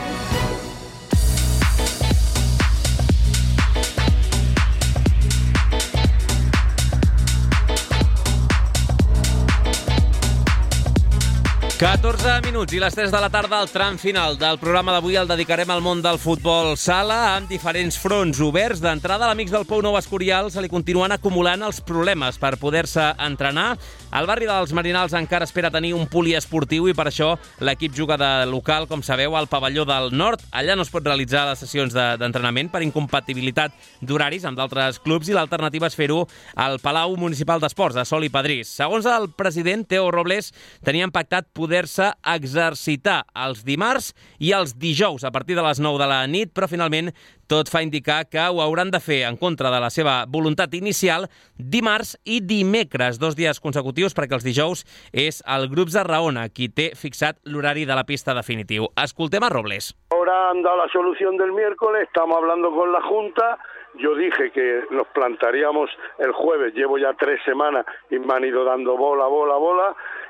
...14 minuts i les 3 de la tarda, el tram final del programa d'avui el dedicarem al món del futbol sala amb diferents fronts oberts. D'entrada, a l'Amics del Pou Nou Escorial se li continuen acumulant els problemes per poder-se entrenar. El barri dels Marinals encara espera tenir un poliesportiu i per això l'equip juga de local, com sabeu, al pavelló del Nord. Allà no es pot realitzar les sessions d'entrenament per incompatibilitat d'horaris amb d'altres clubs i l'alternativa és fer-ho al Palau Municipal d'Esports, a Sol i Padrís. Segons el president, Teo Robles, tenien pactat poder-se exercitar els dimarts i els dijous a partir de les 9 de la nit, però finalment tot fa indicar que ho hauran de fer en contra de la seva voluntat inicial dimarts i dimecres, 2 dies consecutius, perquè els dijous és el Grups de Raona qui té fixat l'horari de la pista definitiu. Escoltem a Robles. Ahora han dado la solución del miércoles, estamos hablando con la Junta. Yo dije que nos plantaríamos el jueves, llevo ya 3 semanas y me han ido dando bola,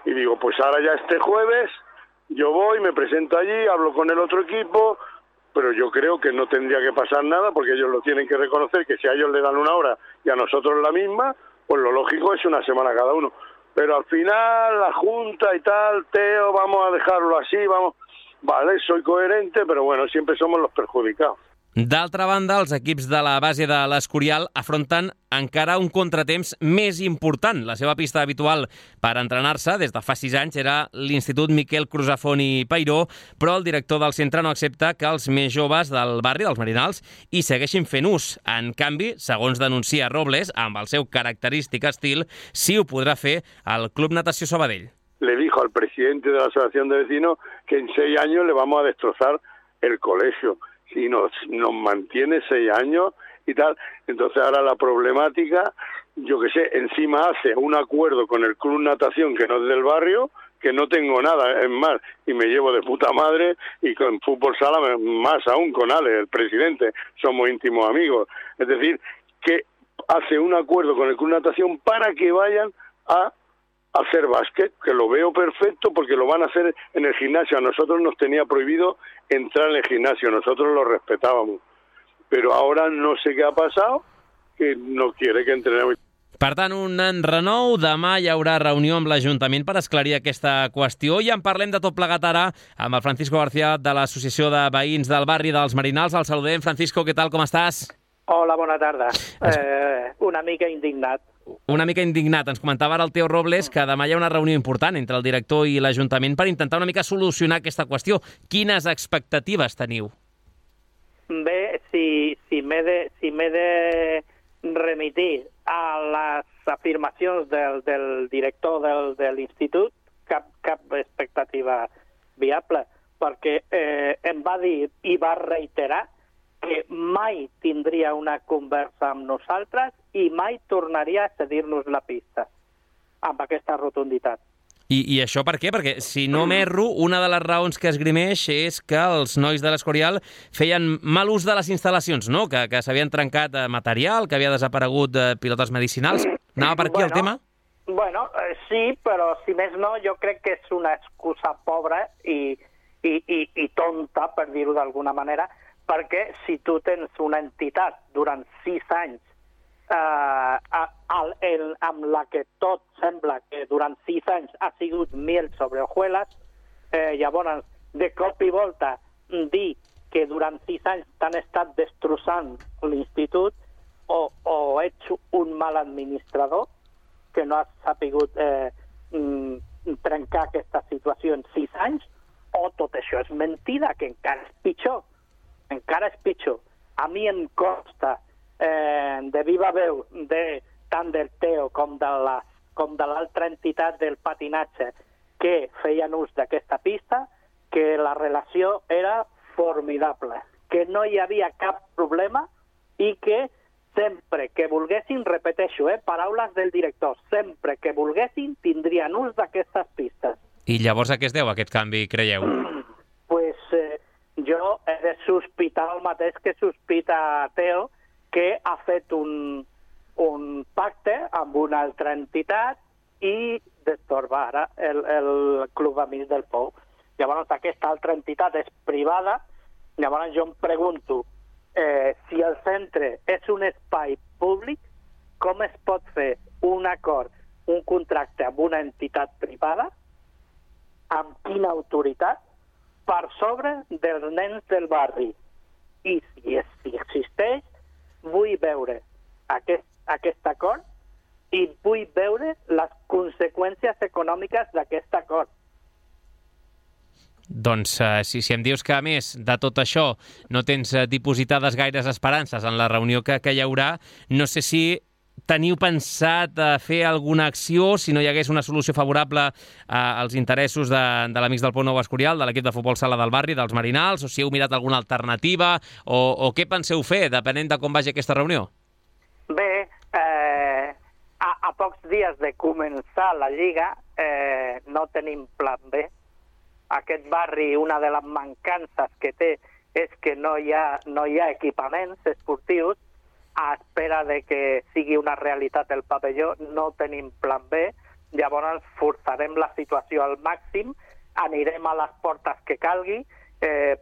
y digo, pues ahora ya este jueves yo voy, me presento allí, hablo con el otro equipo, pero yo creo que no tendría que pasar nada porque ellos lo tienen que reconocer, que si a ellos le dan 1 hora y a nosotros la misma, pues lo lógico es 1 semana cada uno. Pero al final la Junta y tal, Teo, vamos a dejarlo así, vamos, vale, soy coherente, pero bueno, siempre somos los perjudicados. D'altra banda, els equips de la base de l'Escorial afronten encara un contratemps més important. La seva pista habitual per entrenar-se des de fa 6 anys era l'Institut Miquel Crusafont i Peiró, però el director del centre no accepta que els més joves del barri, dels Marinals, hi segueixin fent ús. En canvi, segons denuncia Robles, amb el seu característic estil, sí ho podrà fer el Club Natació Sabadell. Le dijo al presidente de la Asociación de Vecinos que en 6 años le vamos a destrozar el colegio. Si nos mantiene 6 años y tal, entonces ahora la problemática, yo que sé, encima hace un acuerdo con el Club Natación que no es del barrio, que no tengo nada, es más, y me llevo de puta madre, y con fútbol sala más aún con Ale, el presidente, somos íntimos amigos. Es decir, que hace un acuerdo con el Club Natación para que vayan a hacer básquet, que lo veo perfecto porque lo van a hacer en el gimnasio. A nosotros nos tenía prohibido entrar en el gimnasio, nosotros lo respetábamos. Pero ahora no sé què ha passat, que no quiere que entrenem. Per tant, un enrenou. Demà hi haurà reunió amb l'Ajuntament per esclarir aquesta qüestió i en parlem de tot plegat ara amb el Francisco García de l'Associació de Veïns del Barri dels Marinals. El saludem. Francisco, què tal, com estàs? Hola, bona tarda. Una mica indignat. Una mica indignat. Ens comentava ara el Teo Robles que demà hi ha una reunió important entre el director i l'Ajuntament per intentar una mica solucionar aquesta qüestió. Quines expectatives teniu? Bé, si m'he de remitir a les afirmacions del director de l'institut, cap expectativa viable, perquè em va dir i va reiterar que mai tindria una conversa amb nosaltres i mai tornaria a cedir-nos la pista amb aquesta rotunditat. I això per què? Perquè, si no m'erro, una de les raons que esgrimeix és que els nois de l'Escorial feien mal ús de les instal·lacions, no? Que s'havien trencat material, que havia desaparegut pilotes medicinals. Anava per aquí el tema? Bueno, sí, però si més no, jo crec que és una excusa pobra i tonta, per dir-ho d'alguna manera, perquè si tu tens una entitat durant 6 anys amb la que tot sembla que durant 6 anys ha sigut miel sobre hojuelas, llavors de cop i volta dir que durant 6 anys t'han estat destrossant l'institut o ets un mal administrador que no has sapigut trencar aquesta situació en 6 anys, o tot això és mentida, que encara és pitjor. Encara és pitjor. A mi em consta de viva veu tant del Teo com de l'altra entitat del patinatge que feien ús d'aquesta pista, que la relació era formidable, que no hi havia cap problema i que sempre que volguessin, repeteixo, paraules del director, sempre que volguessin tindrien ús d'aquestes pistes. I llavors a què es deu aquest canvi, creieu? Pues jo he de sospitar el mateix que sospita Teo, que ha fet un pacte amb una altra entitat i destorba ara el Club Amics del Pou. Llavors aquesta altra entitat és privada, llavors jo em pregunto si el centre és un espai públic, com es pot fer un acord, un contracte amb una entitat privada, amb quina autoritat, per sobre dels nens del barri. I si existeix, vull veure aquest acord i vull veure les conseqüències econòmiques d'aquest acord. Doncs si em dius que, a més de tot això, no tens dipositades gaires esperances en la reunió que hi haurà, no sé si teniu pensat fer alguna acció si no hi hagués una solució favorable als interessos de l'Amics del Pou Nou Escorial, de l'equip de futbol sala del barri, dels Marinals, o si heu mirat alguna alternativa, o què penseu fer, depenent de com vagi aquesta reunió? Bé, a pocs dies de començar la Lliga no tenim plan B. Aquest barri, una de les mancances que té és que no hi ha equipaments esportius. A espera de que sigui una realitat el pavelló, no tenim plan B, llavors forçarem la situació al màxim, anirem a les portes que calgui,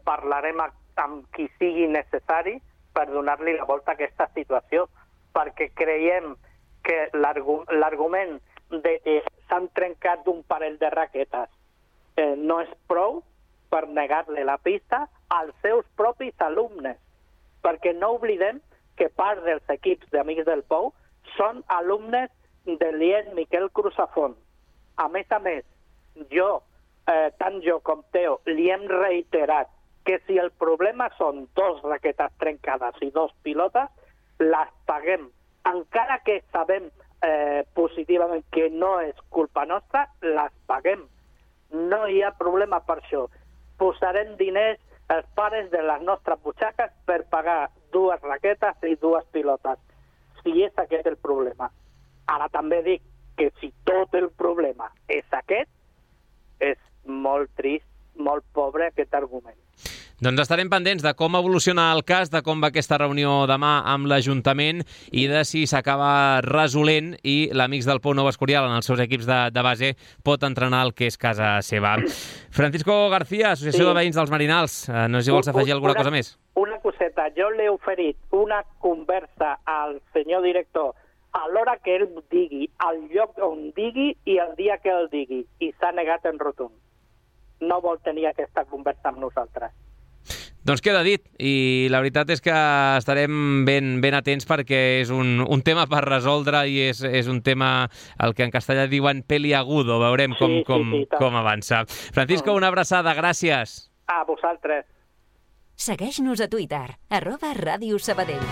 parlarem amb qui sigui necessari per donar-li la volta a aquesta situació, perquè creiem que l'argument de que s'han trencat un parell de raquetes no és prou per negar-li la pista als seus propis alumnes, perquè no oblidem que part dels equips d'Amics del Pou són alumnes de l'IES Miquel Cruzafont. A més, tant jo com Teo li hem reiterat que si el problema són 2 raquetes trencades i 2 pilotes, les paguem. Encara que sabem positivament que no és culpa nostra, les paguem. No hi ha problema per això. Posarem diners els pares de les nostres butxaques per pagar 2 raquetes i 2 pilotes, si és aquest el problema. Ara també dic que si tot el problema és aquest, és molt trist, molt pobre aquest argument. Doncs estarem pendents de com evoluciona el cas, de com va aquesta reunió demà amb l'Ajuntament i de si s'acaba resolent i l'Amics del Pou Nou Escorial en els seus equips de base pot entrenar el que és casa seva. Francisco García, Associació de Veïns dels Marinals, no sé si vols afegir alguna cosa més. Una coseta, jo l'he oferit una conversa al senyor director a l'hora que ell digui, al lloc on digui i el dia que el digui, i s'ha negat en rotund. No vol tenir aquesta conversa amb nosaltres. Doncs queda dit, i la veritat és que estarem ben atents perquè és un tema per resoldre i és un tema, el que en castellà diuen peliagudo, veurem com avança. Francisco, una abraçada, gràcies. A vosaltres. Segueix-nos a Twitter, @radiosabadell.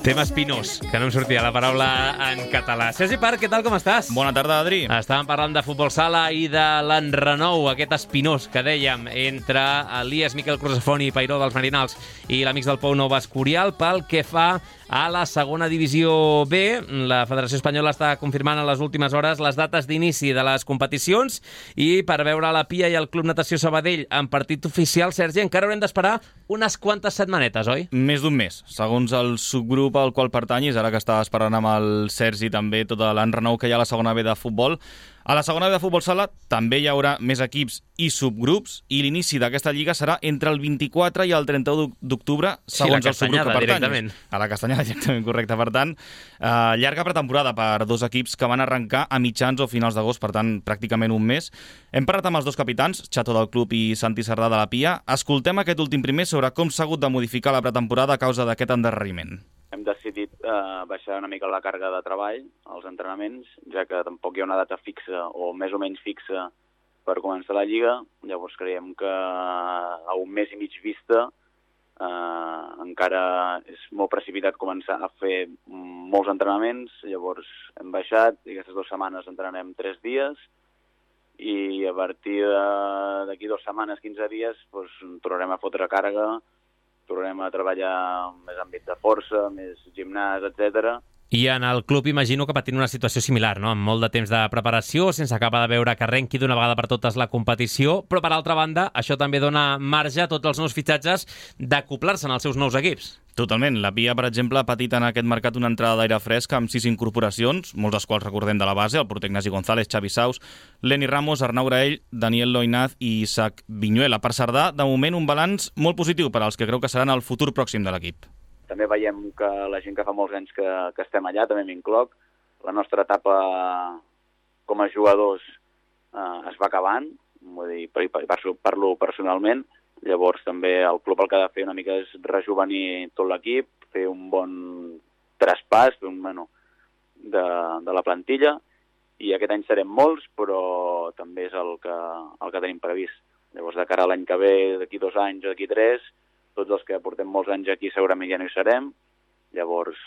Tema espinós, que no em sortia la paraula en català. Sergi Parc, què tal, com estàs? Bona tarda, Adri. Estàvem parlant de futbol sala i de l'enrenou, aquest espinós que dèiem entre Elias Miquel Cruzafont i Peiró dels Marinals i l'Amics del Pou Nou Escorial pel que fa a la segona divisió B. La Federació Espanyola està confirmant en les últimes hores les dates d'inici de les competicions i per veure la Pia i el Club Natació Sabadell en partit oficial, Sergi, encara haurem d'esperar unes quantes setmanetes, oi? Més d'un mes, segons el subgrup al qual pertanyis, ara que estava esperant amb el Sergi també tot l'enrenou que hi ha a la segona B de futbol. A la segona B de futbol sala també hi haurà més equips i subgrups i l'inici d'aquesta lliga serà entre el 24 i el 31 d'octubre, segons el subgrup que pertanyis. A la Castanyada, directament, correcte. Per tant, llarga pretemporada per dos equips que van arrencar a mitjans o finals d'agost, per tant, pràcticament un mes. Hem parlat amb els dos capitans, Chato del club i Santi Cerdà de la Pia. Escoltem aquest últim primer sobre com s'ha hagut de modificar la pretemporada a causa d'aquest endarreriment. Hem decidit baixar una mica la càrrega de treball als entrenaments, ja que tampoc hi ha una data fixa o més o menys fixa per començar la Lliga. Llavors creiem que a un mes i mig vista encara és molt precipitat començar a fer molts entrenaments. Llavors hem baixat i aquestes 2 setmanes entrenem 3 dies i a partir d'aquí 2 setmanes, 15 dies, doncs, tornarem a fotre càrrega, tornem a treballar més àmbit de força, més gimnàs, etc. I en el club imagino que patint una situació similar, no? Amb molt de temps de preparació, sense acabar de veure que arrenqui d'una vegada per totes la competició, però per altra banda, això també dona marge a tots els nous fitxatges d'acoplar-se en els seus nous equips. Totalment. La Pia, per exemple, ha patit en aquest mercat una entrada d'aire fresc amb 6 incorporacions, molts dels quals recordem de la base, el porter Ignasi González, Xavi Saus, Leni Ramos, Arnau Graell, Daniel Loinaz i Isaac Viñuela. Per Cerdà, de moment, un balanç molt positiu per als que creu que seran el futur pròxim de l'equip. També veiem que la gent que fa molts anys que estem allà, també m'incloc, la nostra etapa com a jugadors es va acabant, vull dir, parlo personalment. Llavors també el club el que ha de fer una mica és rejuvenir tot l'equip, fer un bon traspàs de la plantilla, i aquest any serem molts, però també és el que tenim previst. Llavors, de cara a l'any que ve, d'aquí 2 anys o d'aquí 3, tots els que portem molts anys aquí segurament ja no hi serem. Llavors,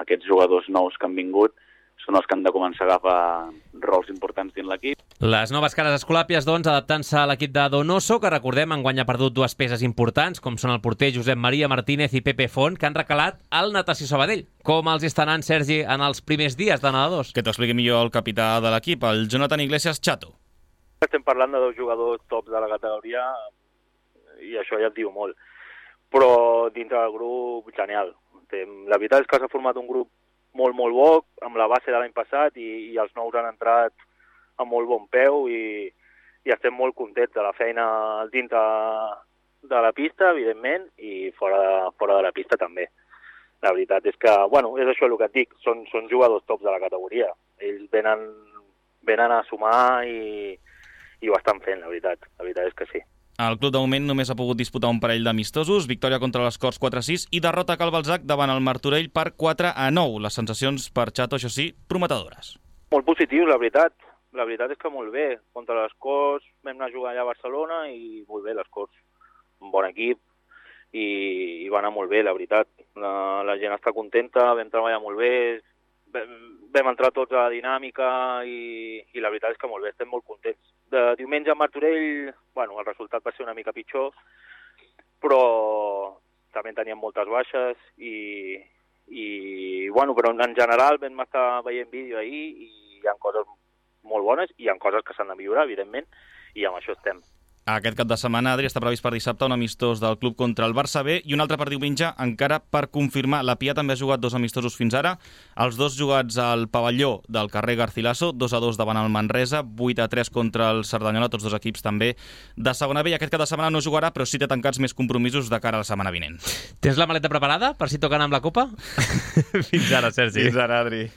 aquests jugadors nous que han vingut són els que han de començar a agafar rols importants dins l'equip. Les noves cares escolàpies, doncs, adaptant-se a l'equip de Donoso, que recordem enguany ha perdut 2 peces importants, com són el porter Josep Maria Martínez i Pepe Font, que han recalat al Natació Sabadell. Com els està anant, Sergi, en els primers dies de nedadors? Que t'ho expliqui millor el capità de l'equip, el Jonathan Iglesias Chato. Estem parlant de 2 jugadors tops de la categoria i això ja et diu molt. Però dintre del grup, genial. La veritat és que s'ha format un grup molt bo, amb la base de l'any passat, i els nous han entrat amb molt bon peu i estem molt contents de la feina dintre de la pista, evidentment, i fora de la pista també. La veritat és que, és això el que et dic, són jugadors tops de la categoria. Ells venen a sumar i ho estan fent, la veritat és que sí. El club de moment només ha pogut disputar un parell d'amistosos, victòria contra les Corts 4-6 i derrota a Cal Balzac davant el Martorell per 4-9. Les sensacions per Chato, això sí, prometedores. Molt positius, la veritat. La veritat és que molt bé. Contra les Corts vam anar a jugar allà a Barcelona i molt bé, les Corts. Un bon equip i va anar molt bé, la veritat. La gent està contenta, vam treballar molt bé, vam entrar tots a la dinàmica i la veritat és que molt bé, estem molt contents. De diumenge a Martorell, el resultat va ser una mica pitjor, però també teníem moltes baixes però en general vam estar veient vídeo ahir i hi ha coses molt bones i hi ha coses que s'han de millorar, evidentment, i amb això estem. Aquest cap de setmana, Adri, està previst per dissabte un amistós del club contra el Barça B i un altre per diumenge encara per confirmar. La Pia també ha jugat 2 amistosos fins ara, els 2 jugats al pavelló del carrer Garcilaso, 2-2 davant el Manresa, 8-3 contra el Cerdanyola, tots 2 equips també de segona B, i aquest cap de setmana no jugarà, però sí té tancats més compromisos de cara a la setmana vinent. Tens la maleta preparada per si toquen amb la Copa? Fins ara, Sergi. Fins ara, Adri.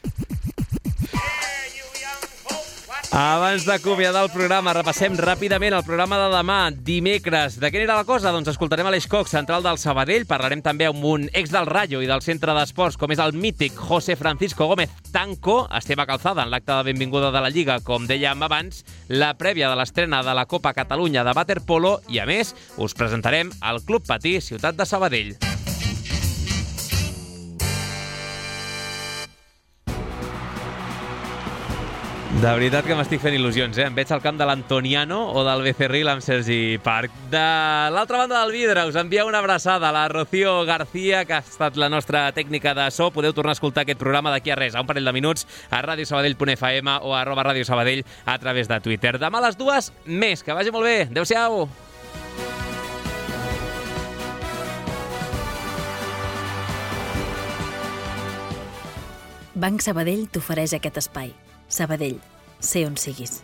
Abans d'acomiadar el programa, repassem ràpidament el programa de demà, dimecres. De què anirà la cosa? Doncs escoltarem a l'Eix Cox, central del Sabadell. Parlarem també amb un ex del Rayo i del centre d'esports, com és el mític José Francisco Gómez Tanco. Esteve Calzada en l'acte de benvinguda de la Lliga, com dèiem abans, la prèvia de l'estrena de la Copa Catalunya de waterpolo i, a més, us presentarem el Club Patí Ciutat de Sabadell. De veritat que m'estic fent il·lusions, Em veig al camp de l'Antoniano o del Becerril amb Sergi Parc. De l'altra banda del vidre us envia una abraçada a la Rocío García, que ha estat la nostra tècnica de so. Podeu tornar a escoltar aquest programa d'aquí a res, a un parell de minuts, a radiosabadell.fm o a @radiosabadell a través de Twitter. Demà a les 2, més. Que vagi molt bé. Adéu-siau. Banc Sabadell t'ofereix aquest espai. Sabadell, sé on siguis.